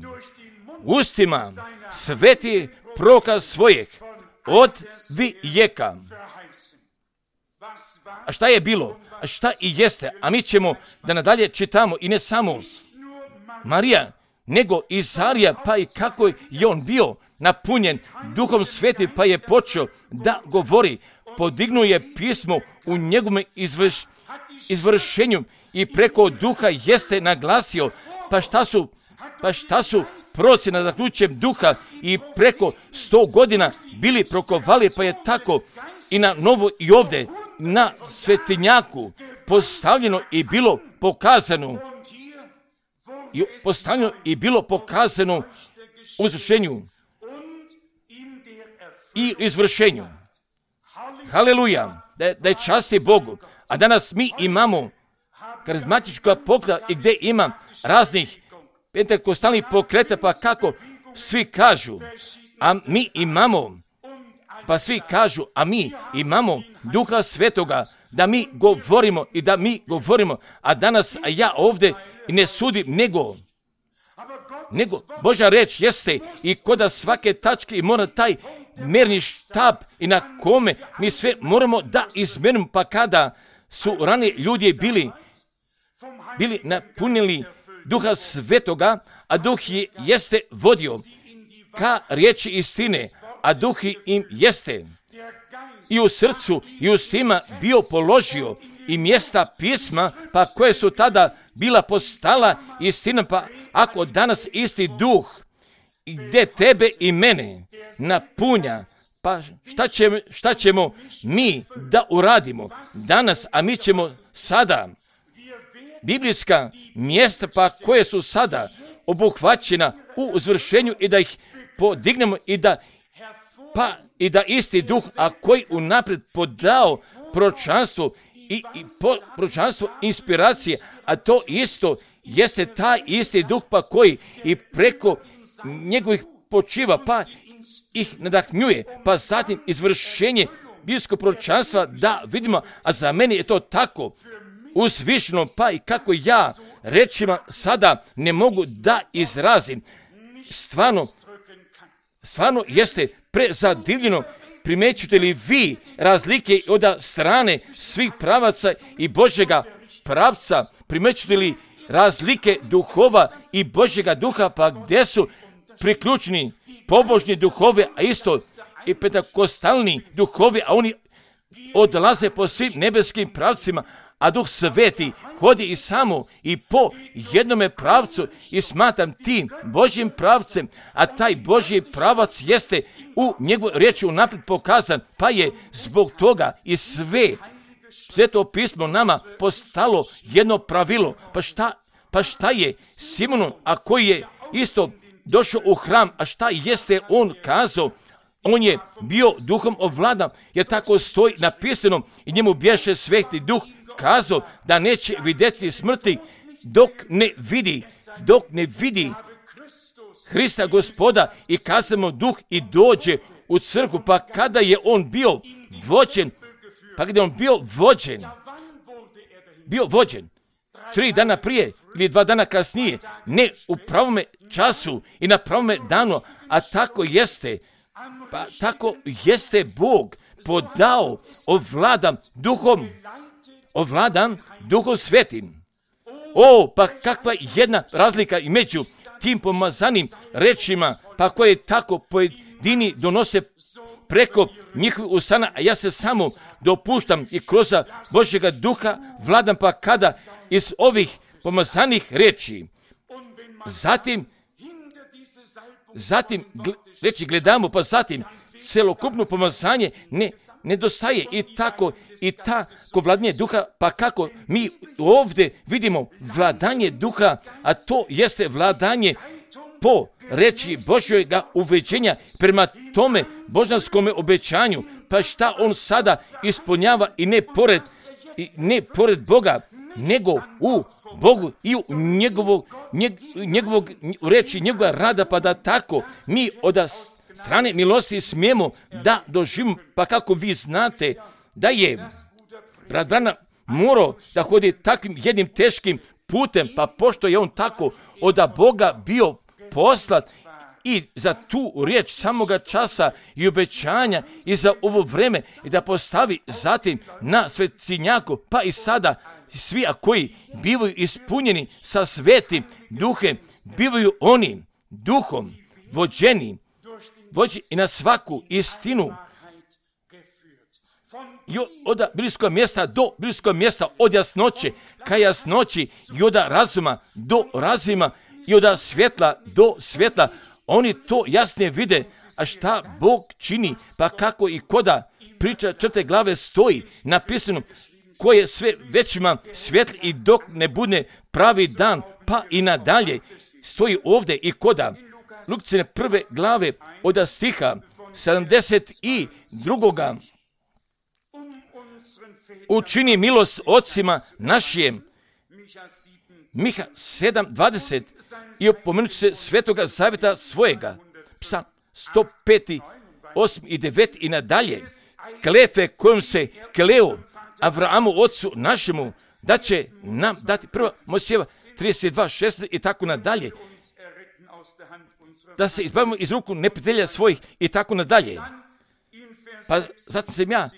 ustima sveti proroka svojeg od vijeka. A šta je bilo? A šta i jeste? A mi ćemo da nadalje čitamo i ne samo Marija, nego Izarija, pa i kako je on bio napunjen Duhom Svetim, pa je počeo da govori, podignuje pismo u njegovom izvršenju i preko Duha jeste naglasio, pa šta su proroci nadahnućem Duha i preko 100 godina bili prokovali, pa je tako i na novo i ovdje na svetinjaku postavljeno i bilo pokazano u izvršenju i izvršenju. Haleluja, da je časti Bogu. A danas mi imamo karizmatička pokreta i gdje ima raznih pentekostalnih pokreta, pa kako svi kažu, a mi imamo, Duha Svetoga, da mi govorimo, a danas ja ovdje ne sudim, nego Božja reč jeste i koda svake tačke i mora taj merni štab i na kome mi sve moramo da izmerimo, pa kada su ranije ljudi bili napunili Duha Svetoga, a Duh jeste vodio ka riječi istine, a Duh im jeste i u srcu i ustima bio položio i mjesta pisma, pa koje su tada bila postala istina, pa ako danas isti Duh gdje tebe i mene napunja, pa šta ćemo mi da uradimo danas, a mi ćemo sada biblijska mjesta, pa koje su sada obuhvaćena u izvršenju i da ih podignemo i da isti Duh, a koji unaprijed podao proročanstvo i proročanstvo inspiracije, a to isto jeste taj isti Duh, pa koji i preko njegovih počiva, pa ih nadahnjuje, pa zatim izvršenje biblijskog proročanstva da vidimo, a za mene je to tako uzvišeno, pa i kako ja rečima sada ne mogu da izrazim. stvarno jeste prezadivljeno. Primećujete li vi razlike od strane svih pravaca i Božjega pravca? Primećujete li razlike duhova i Božjega duha, pa gdje su priključeni pobožni duhovi, a isto i pentakostalni duhovi, a oni odlaze po svim nebeskim pravcima, a Duh Sveti hodi i samo i po jednome pravcu i smatram tim Božjim pravcem, a taj Božji pravac jeste u njegovoj riječi unaprijed pokazan, pa je zbog toga i Sveto pismo nama postalo jedno pravilo. Pa šta je Simonon, a koji je isto došao u hram, a šta jeste on kazao? On je bio duhom ovladan, jer tako stoji napisano, i njemu bješe Sveti Duh kazao da neće vidjeti smrti dok ne vidi Hrista Gospoda, i kazamo Duh i dođe u crkvu. Pa kada je on bio vođen 3 dana prije ili 2 dana kasnije, ne u pravome času i na pravome danu, a tako jeste Bog podao ovladan Duhom Svetim. Pa kakva jedna razlika i među tim pomazanim rečima, pa koje tako pojedini donose preko njihovih usana, a ja se samo dopuštam i kroz Božjega Duha vladam, pa kada iz ovih pomazanih reči zatim reći gledamo, pa zatim celokupno pomazanje nedostaje i tako vladanje duha, pa kako mi ovdje vidimo vladanje duha, a to jeste vladanje po reči Božjega uveđenja prema tome božanskome obećanju. Pa šta on sada ispunjava i ne pored Boga, nego u Bogu i u njegovog reči, njegova rada, pa da tako mi od strane milosti smijemo da doživimo. Pa kako vi znate da je brat Branham morao da hodi takvim jednim teškim putem, pa pošto je on tako od Boga bio poslat i za tu riječ samoga časa i obećanja i za ovo vreme, i da postavi zatim na svetinjaku, pa i sada svi koji bivaju ispunjeni sa Svetim Duhem, bivaju oni Duhom vođeni i na svaku istinu, i od bliskog mjesta do bliskog mjesta, od jasnoće ka jasnoći, i od razuma do razuma, i od svjetla do svjetla. Oni to jasnije vide, a šta Bog čini, pa kako i koda priča 4. glave stoji napisano, ko je sve većima svjetli i dok ne bude pravi dan, pa i nadalje stoji ovdje i koda Lukcine 1. glave od stiha 72. Učini milost ocima našim, Miha 7.20, i opomenuti se Svetoga zavjeta svojega, Psalm 105, 8 i 9 i nadalje, kletve kojom se kleo Abrahamu ocu našemu, da će nam dati, 1. Mojsijeva 32.16 i tako nadalje, da se izbavimo iz ruku neprijatelja svojih i tako nadalje. Pa zatim sam ja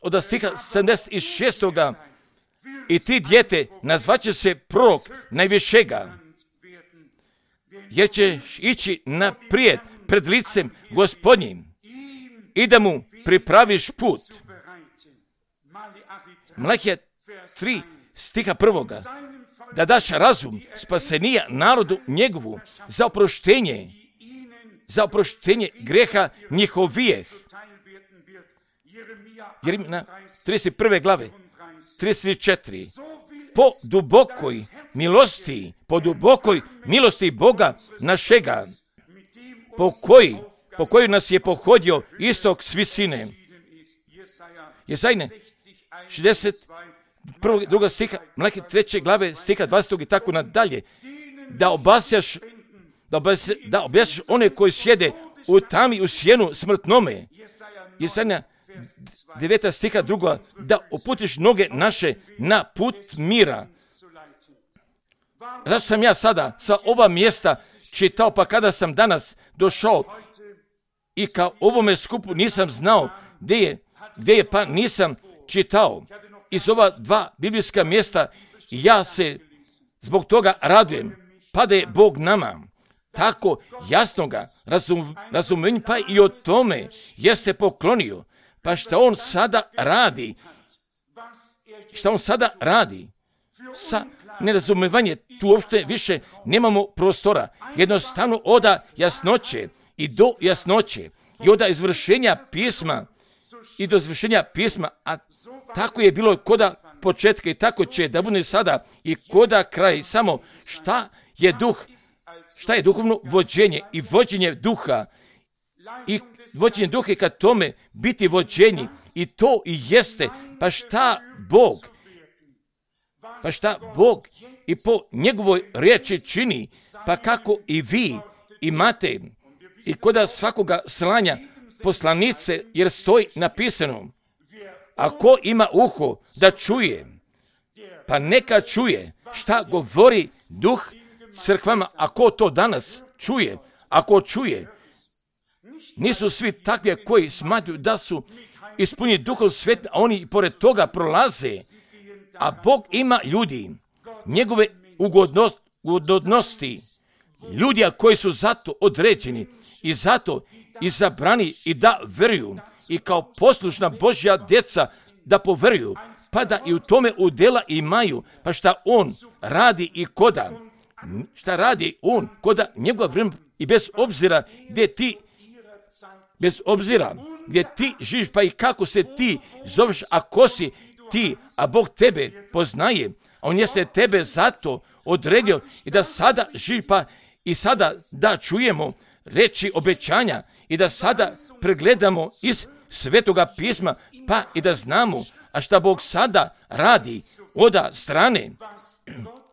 od stiha 76. I ti dijete nazvaće se prorok najvišega, jer ćeš ići naprijed pred licem Gospodnjim i da mu pripraviš put. Malahija 3 stiha 1. Da daš razum spasenija narodu njegovu za oproštenje greha njihovijeh. Jeremija 31. glave 34. Po dubokoj milosti Boga našega, po kojoj nas je pohodio istok s visine. Jezajne 62. stiha, Malahija 3. glave stiha 20. i tako nadalje. Da objasniš one koji sjede u tami u sjenu smrtnome. Jezajne 9. stiha 2. Da uputiš noge naše na put mira. Zašto sam ja sada sa ova mjesta čitao, pa kada sam danas došao i kao ovome skupu nisam znao gdje je, pa nisam čitao iz ova 2 biblijska mjesta, ja se zbog toga radujem, pa da je Bog nama tako jasnoga razumenja, pa i o tome jeste poklonio. Pa šta on sada radi? Šta on sada radi? Sa nerazumevanje, tu uopšte više nemamo prostora. Jednostavno oda jasnoće i do jasnoće i oda izvršenja pisma i do izvršenja pisma, a tako je bilo koda početka i tako će da bude sada i koda kraj. Samo šta je duhovno vođenje i vođenje duha i vođenje duha i kad tome biti vođenji i to i jeste, pa šta Bog i po njegovoj riječi čini, pa kako i vi imate i koda svakoga slanja poslanice, jer stoji napisano, ako ima uho da čuje, pa neka čuje šta govori duh crkvama. Ako to danas čuje, ako čuje, nisu svi takvi koji smatruju da su ispunjeni Duhom Svetim, a oni pored toga prolaze, a Bog ima ljudi, njegove ugodnosti, ljudi koji su zato određeni i zato izabrani i da veruju i kao poslušna Božja djeca da poveruju, pa da i u tome udjela imaju, pa šta on radi i koda, šta radi on koda njegov vreme i bez obzira gdje ti živiš, pa i kako se ti zoveš, a ko si ti, a Bog tebe poznaje, a on jeste tebe zato odredio i da sada živi, pa i sada da čujemo reči obećanja i da sada pregledamo iz Svetoga pisma, pa i da znamo, a šta Bog sada radi oda strane,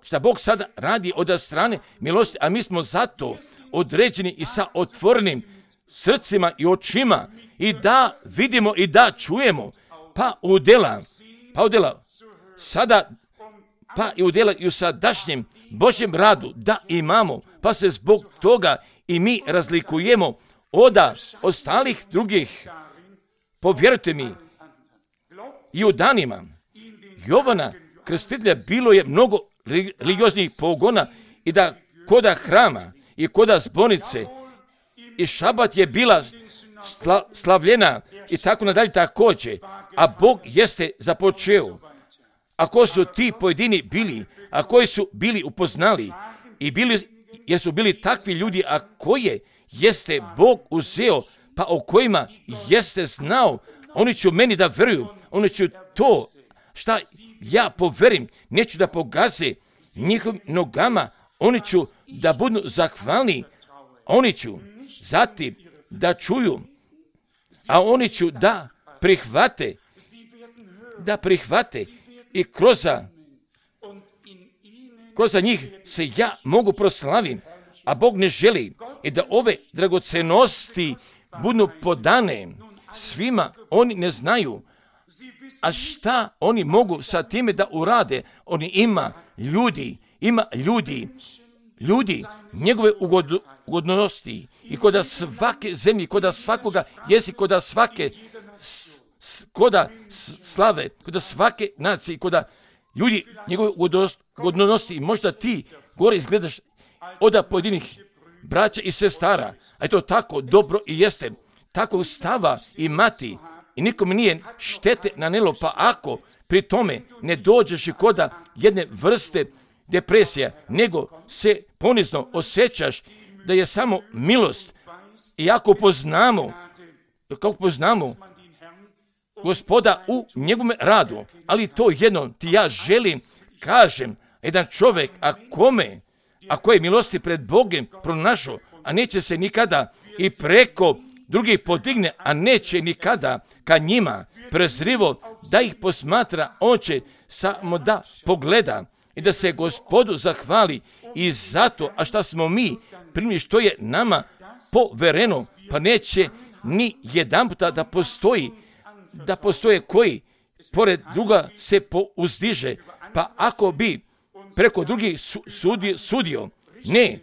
šta Bog sada radi oda strane milosti, a mi smo zato određeni i sa otvorenim srcima i očima i da vidimo i da čujemo, pa udjela sada, pa i udjela i u sadašnjem Božjem radu da imamo, pa se zbog toga i mi razlikujemo od ostalih drugih. Povjerujte mi, i u danima Jovana Krstitelja bilo je mnogo religioznih pogona i da koda hrama i koda zbornice i šabat je bila slavljena i tako nadalje također, a Bog jeste započeo. Ako su ti pojedini bili, a koji su bili upoznali i jer su bili takvi ljudi, a koje jeste Bog uzeo, pa o kojima jeste znao, oni će meni da veruju, oni će to šta ja poverim, neću da pogaze njihovim nogama, oni ću da budu zahvalni, oni ću zatim da čuju, a oni ću da prihvate i kroz njih se ja mogu proslavim, a Bog ne želi i da ove dragocenosti budu podane svima, oni ne znaju, a šta oni mogu sa time da urade. Oni ima ljudi njegove ugodnosti i koda svake zemlje, koda svakoga jezika, koda svake koda slave, koda svake nacije, koda ljudi njegove ugodnosti. Možda ti gore izgledaš od pojedinih braća i sestara, a je to tako dobro i jeste takvog stava imati i nikome nije štete nanelo, pa ako pri tome ne dođeš i koda jedne vrste depresija, nego se ponizno osjećaš da je samo milost i ako poznamo Gospoda u njegovom radu, ali to jedno ti ja želim, kažem, jedan čovjek, a koje milosti pred Bogom pronašao, a neće se nikada i preko drugih podigne, a neće nikada ka njima prezrivo da ih posmatra, on će samo da pogleda i da se Gospodu zahvali i zato, a šta smo mi primili, što je nama povereno, pa neće ni jedan puta da postoje koji pored druga se pouzdiže, pa ako bi preko drugih sudio, ne,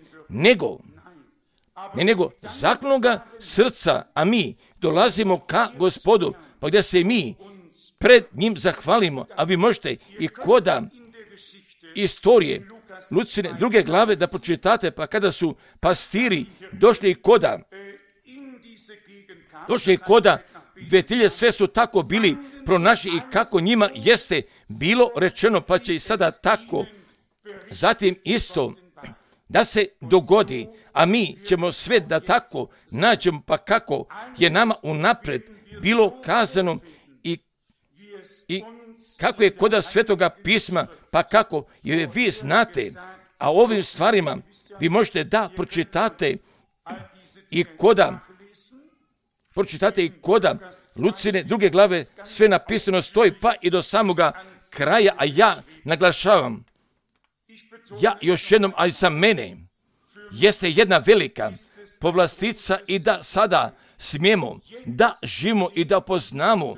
ne nego zaklonoga srca, a mi dolazimo ka Gospodu, pa gdje se mi pred njim zahvalimo, a vi možete i koda istorije Lucine 2. glave da pročitate, pa kada su pastiri došli koda Betilje, sve su tako bili pronašli i kako njima jeste bilo rečeno, pa će i sada tako zatim isto da se dogodi, a mi ćemo sve da tako nađemo, pa kako je nama unapred bilo kazano i kako je koda Svetoga pisma, pa kako jer vi znate, a ovim stvarima vi možete da pročitate i koda Lucine 2. glave sve napisano stoji, pa i do samoga kraja, a ja naglašavam, ja još jednom, ali za mene jeste jedna velika povlastica i da sada smijemo da živimo i da poznamo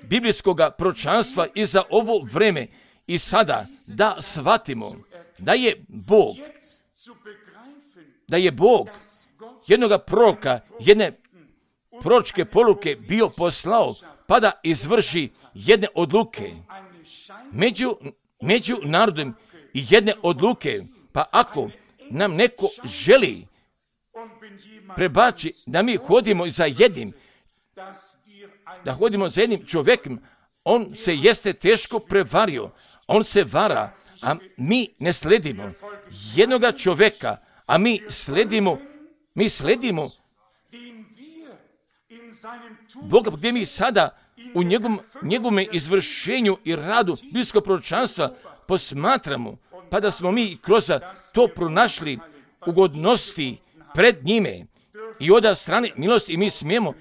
biblijskoga proročanstva i za ovo vreme i sada da shvatimo da je Bog jednoga proroka, jedne proročke poruke bio poslao pa da izvrši jedne odluke među narodom i jedne odluke. Pa ako nam neko želi prebači da mi hodimo za jednim čovjekom, on se jeste teško prevario, on se vara, a mi ne sledimo jednoga čovjeka, a mi sledimo Boga, gdje mi sada u njegovom izvršenju i radu biblijskog proročanstva posmatramo, pa da smo mi kroz to pronašli ugodnosti pred njime i od strane milosti i mi smijemo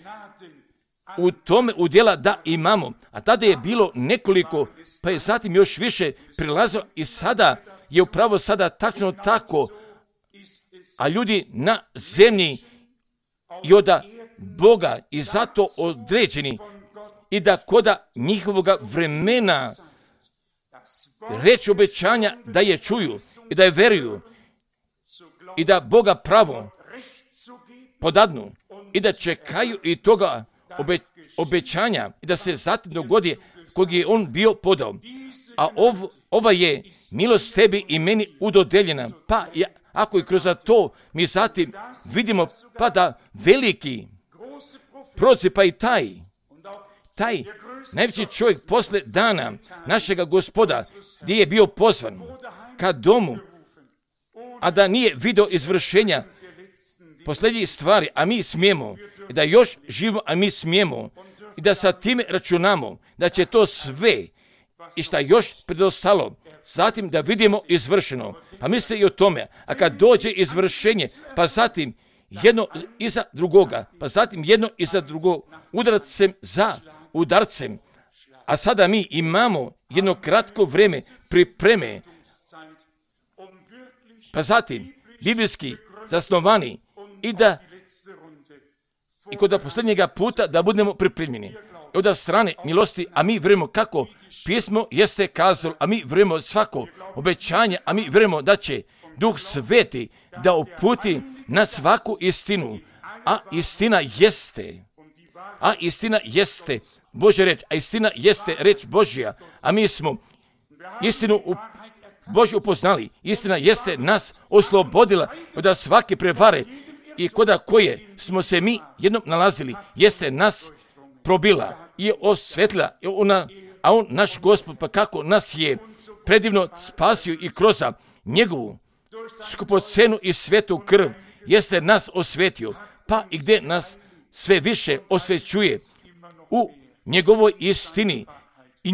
u tome udjela da imamo. A tada je bilo nekoliko, pa je zatim još više prilazilo i sada je upravo sada tačno tako, a ljudi na zemlji i od Boga i zato određeni i da koda njihovoga vremena reč obećanja da je čuju i da je veruju i da Boga pravo podadnu i da čekaju i toga obećanja i da se zatim dogodi kog je on bio podao. A ova je milost tebi i meni udodeljena. Pa ako i kroz to mi zatim vidimo pa da veliki proroci, pa i taj najveći čovjek posle dana našega Gospoda gdje je bio pozvan ka domu, a da nije video izvršenja posljednjih stvari, a mi smijemo i da još živimo, a mi smijemo i da sa time računamo da će to sve i šta još predostalo zatim da vidimo izvršeno. Pa mislite i o tome, a kad dođe izvršenje, pa zatim jedno iza drugoga, pa zatim jedno iza drugog, udarcem za udarcem, a sada mi imamo jedno kratko vrijeme pripreme, pa zatim biblijski zasnovani i kod posljednjega puta da budemo pripremljeni. Od strane milosti, a mi vjerujemo kako pismo jeste kazalo, a mi vjerujemo svako obećanje, a mi vjerujemo da će Duh Sveti da uputi na svaku istinu, a istina jeste Božja reč, a istina jeste reč Božja, a mi smo istinu Božju upoznali, istina jeste nas oslobodila od svake prevare i koda koje smo se mi jednom nalazili, jeste nas probila i osvetlila, a on, naš Gospod, pa kako nas je predivno spasio i kroz njegovu skupocenu i svetu krv, jeste nas osvetio, pa i gdje nas sve više osvećuje u njegovoj istini i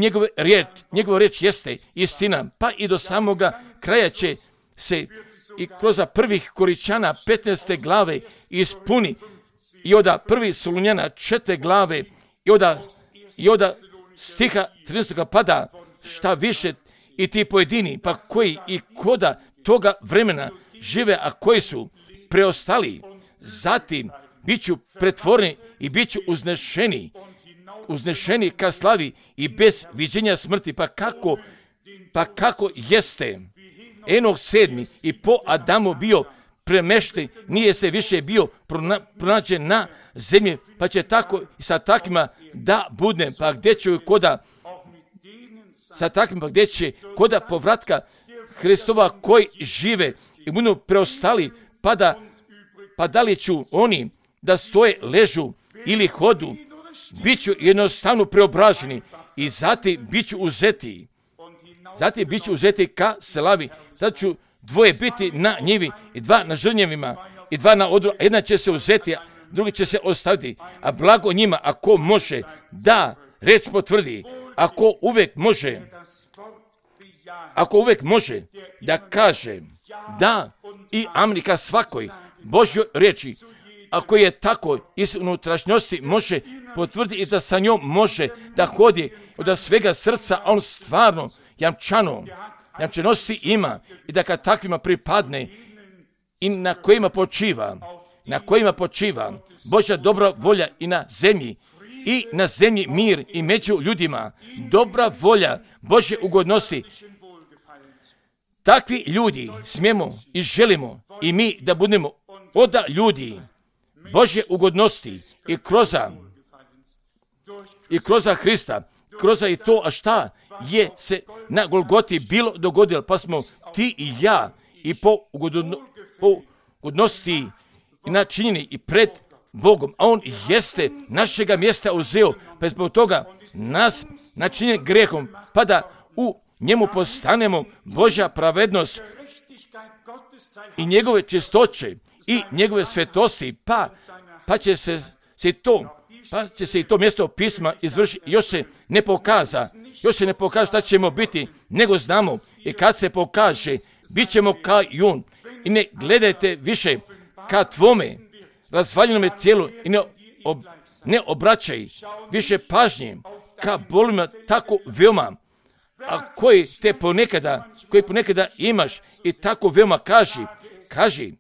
njegova riječ jeste istina, pa i do samoga kraja će se i kroz prvih Koričana 15. glave ispuni i od 1. Solunjana 4. glave i od stiha 13. pada šta više i ti pojedini, pa koji i koda toga vremena žive, a koji su preostali, zatim bit ću pretvoreni i bit ću uznešeni ka slavi i bez viđenja smrti. Pa kako jeste Enoh 7. i po Adamu bio premešten, nije se više bio pronađen na zemlji, pa će tako i sa takvima da budem, pa gdje će koda sa takvim, pa gdje će koda povratka Hristova koji žive i budu preostali, pa da li ću oni da stoje, ležu ili hodu, bit ću jednostavno preobraženi i zatim bit ću uzeti. Zatim bit ću uzeti ka slavi. Tad ću dvoje biti na njivi i dva na žrnjevima i dva na odru. Jedna će se uzeti, a drugi će se ostaviti. A blago njima ako može da reč potvrdi, ako uvek može da kaže da i Amerika svakoj Božjoj riječi, ako je tako iz unutrašnjosti može potvrditi i da sa njom može da hodi od svega srca, a on stvarno jamčanosti ima i da kad takvima pripadne i na kojima počiva Božja dobra volja i na zemlji mir i među ljudima, dobra volja Božje ugodnosti. Takvi ljudi smijemo i želimo i mi da budemo od ljudi Božje ugodnosti i kroza Hrista, kroza i to, a šta je se na Golgoti bilo dogodilo, pa smo ti i ja i po ugodnosti i načinjeni i pred Bogom, a on jeste našega mjesta uzeo, pa zbog toga nas načinjen grehom, pa da u njemu postanemo Božja pravednost i njegove čistoće i njegove svetosti, pa će se i to mjesto pisma izvršiti. Još se ne pokaza šta ćemo biti, nego znamo i kad se pokaže, bit ćemo kao jun. I ne gledajte više ka tvome razvaljenome tijelu i ne obraćaj više pažnje ka bolima tako veoma, a koji ponekada imaš i tako veoma kaži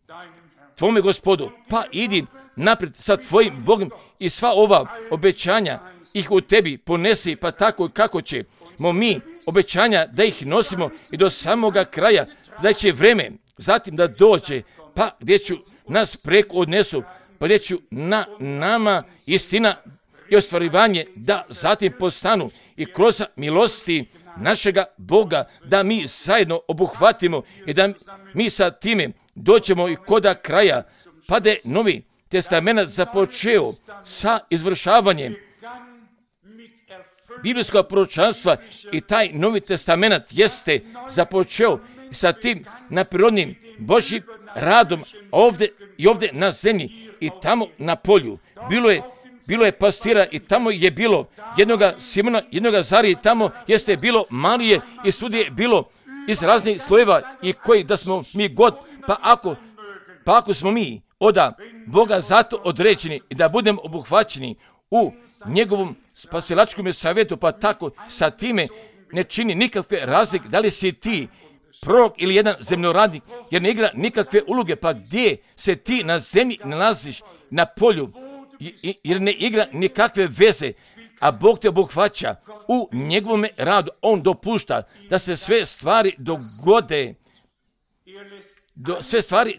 tvome Gospodu, pa idi naprijed sa tvojim Bogom i sva ova obećanja ih u tebi ponesi, pa tako kako ćemo mi obećanja da ih nosimo i do samoga kraja, da će vreme zatim da dođe, pa gdje ću nas preko odnesu, pa gdje ću na nama istina i ostvarivanje da zatim postanu i kroz milosti našega Boga da mi zajedno obuhvatimo i da mi sa time dođemo i koda kraja, pa da je Novi Testament započeo sa izvršavanjem biblijskog proročanstva i taj Novi Testament jeste započeo sa tim naprirodnim Božjim radom ovdje na zemlji i tamo na polju. Bilo je pastira i tamo je bilo jednoga Simona, jednoga Zarije, tamo jeste bilo Marije i studije bilo iz raznih slojeva i koji da smo mi god, pa ako smo mi od Boga zato određeni i da budemo obuhvaćeni u njegovom spasilačkom savjetu, pa tako sa time ne čini nikakve razlike da li si ti prorok ili jedan zemljoradnik, jer ne igra nikakve uloge, pa gdje se ti na zemlji nalaziš na polju, jer ne igra nikakve veze, a Bog te obuhvaća u njegovome radu. On dopušta da se sve stvari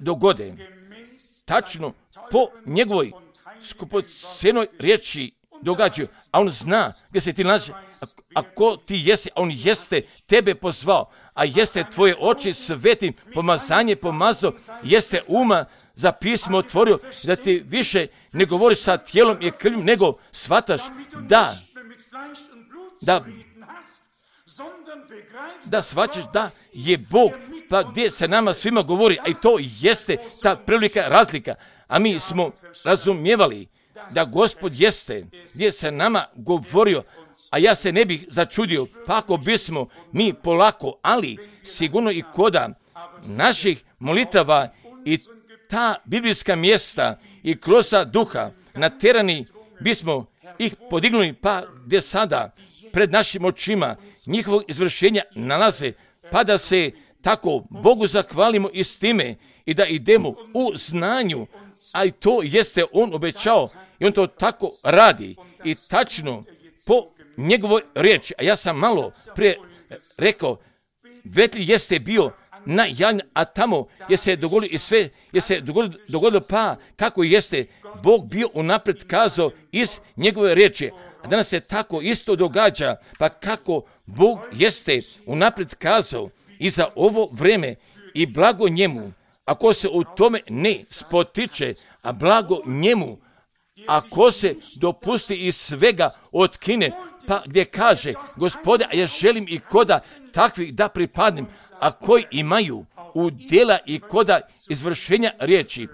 dogode tačno po njegovoj skupocenoj riječi događaju, a on zna gdje se ti nalazi, ako ti jesi, a on jeste tebe pozvao, a jeste tvoje oči svetim pomazanje pomazao, jeste uma za pismo otvorio, da ti više ne govoriš sa tijelom i krvlju, nego shvataš da shvaćaš da je Bog, pa gdje se nama svima govori, a i to jeste ta prevelika razlika, a mi smo razumijevali da Gospod jeste gdje se nama govorio, a ja se ne bih začudio, pa ako bismo mi polako, ali sigurno i koda naših molitava i ta biblijska mjesta i kroz duha naterani bismo ih podignuli, pa gdje sada pred našim očima njihovog izvršenja nalaze, pa da se tako Bogu zahvalimo i s time i da idemo u znanju, a i to jeste on obećao i on to tako radi i tačno po njegovoj riječi. A ja sam malo prije rekao, Betlej jeste bio a tamo je se dogodilo i sve, je se dogodilo pa kako jeste Bog bio unaprijed kazao iz njegove riječi. A danas se tako isto događa, pa kako Bog jeste unaprijed kazao i za ovo vrijeme i blago njemu, ako se u tome ne spotiče, a blago njemu, ako se dopusti iz svega otkine, pa gdje kaže, Gospode, a ja želim i koda takvih da pripadnem, a koji imaju udjela i koda izvršenja riječi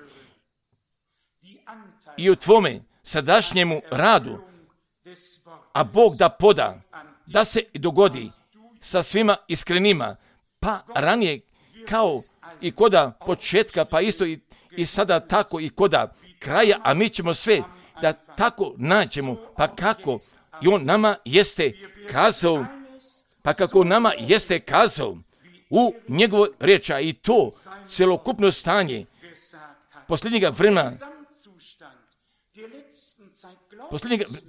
i u tvome sadašnjemu radu, a Bog da poda, da se dogodi sa svima iskrenima, pa ranije kao i koda početka, pa isto i sada tako i koda kraja, a mi ćemo sve da tako nađemo, pa kako i on nama jeste kazao, pa kako nama jeste kazao u njegovoj riječi, i to celokupno stanje posljednjega vremena,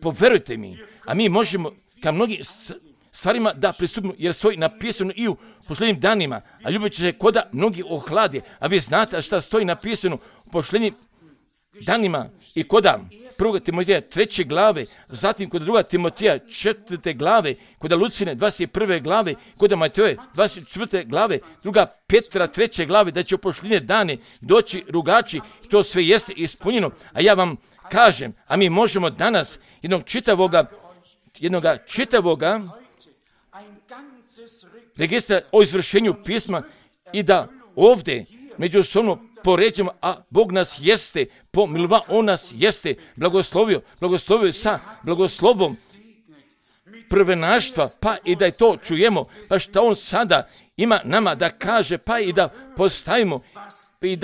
poverujte mi, a mi možemo ka mnogim stvarima da pristupimo, jer stoji napisano i u posljednjim danima, a ljubit će se koda mnogi ohlade, a vi znate šta stoji napisano u posljednjim danima i koda 1. Timotija 3. glave, zatim kod 2. Timotija 4. glave, kod Lucine 21. glave, kod Mateje 24. glave, 2. Petra 3. glave, da će u posljednje dane doći rugači, to sve jeste ispunjeno, a ja vam kažem, a mi možemo danas jednog čitavoga registra o izvršenju pisma i da ovdje međusobno poređujemo, a Bog nas jeste pomilova, on nas jeste blagoslovio sa blagoslovom prvenaštva, pa i da to čujemo, pa što on sada ima nama da kaže, pa i da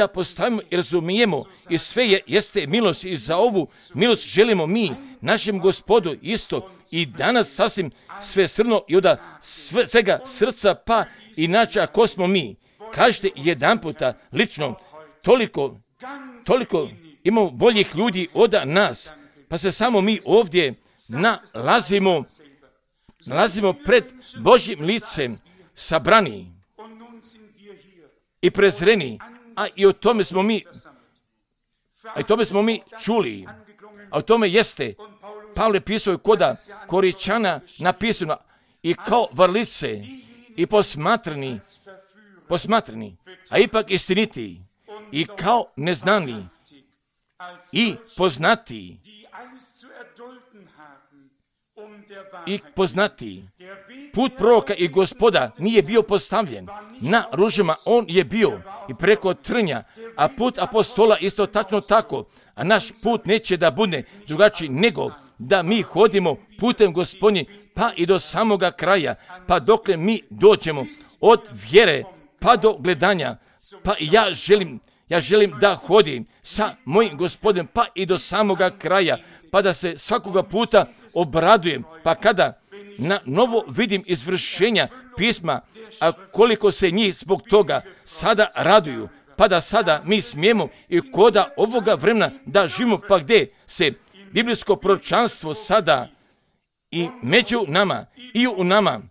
postavimo i razumijemo, i sve jeste milost, i za ovu milost želimo mi našem Gospodu isto i danas sasvim svesrdno i od svega srca, pa inače ako smo mi, kažete jedan puta lično, toliko imamo boljih ljudi od nas, pa se samo mi ovdje nalazimo pred Božjim licem sabrani i prezreni, a i o tome smo mi čuli, a o tome jeste Pavle pisao koda Koričana napisano, i kao vrlice i posmatrani, a ipak istiniti, i kao neznani i poznati put proroka i Gospoda nije bio postavljen na ružama, on je bio i preko trnja, a put apostola isto tačno tako, a naš put neće da bude drugačiji nego da mi hodimo putem Gospodnji pa i do samoga kraja, pa dokle mi dođemo od vjere pa do gledanja, pa i ja želim da hodim sa mojim Gospodem pa i do samoga kraja, pa da se svakoga puta obradujem, pa kada na novo vidim izvršenja pisma, a koliko se njih zbog toga sada raduju, pa da sada mi smijemo i koda ovoga vremena da živimo, pa gdje se biblijsko proročanstvo sada i među nama, i u nama,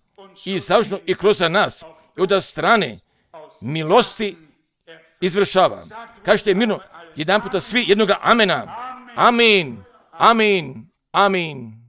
i završno i kroz nas, i od strane milosti izvršava. Kažete mirno jedan puta svi jednoga amena. Amin, amin, amin.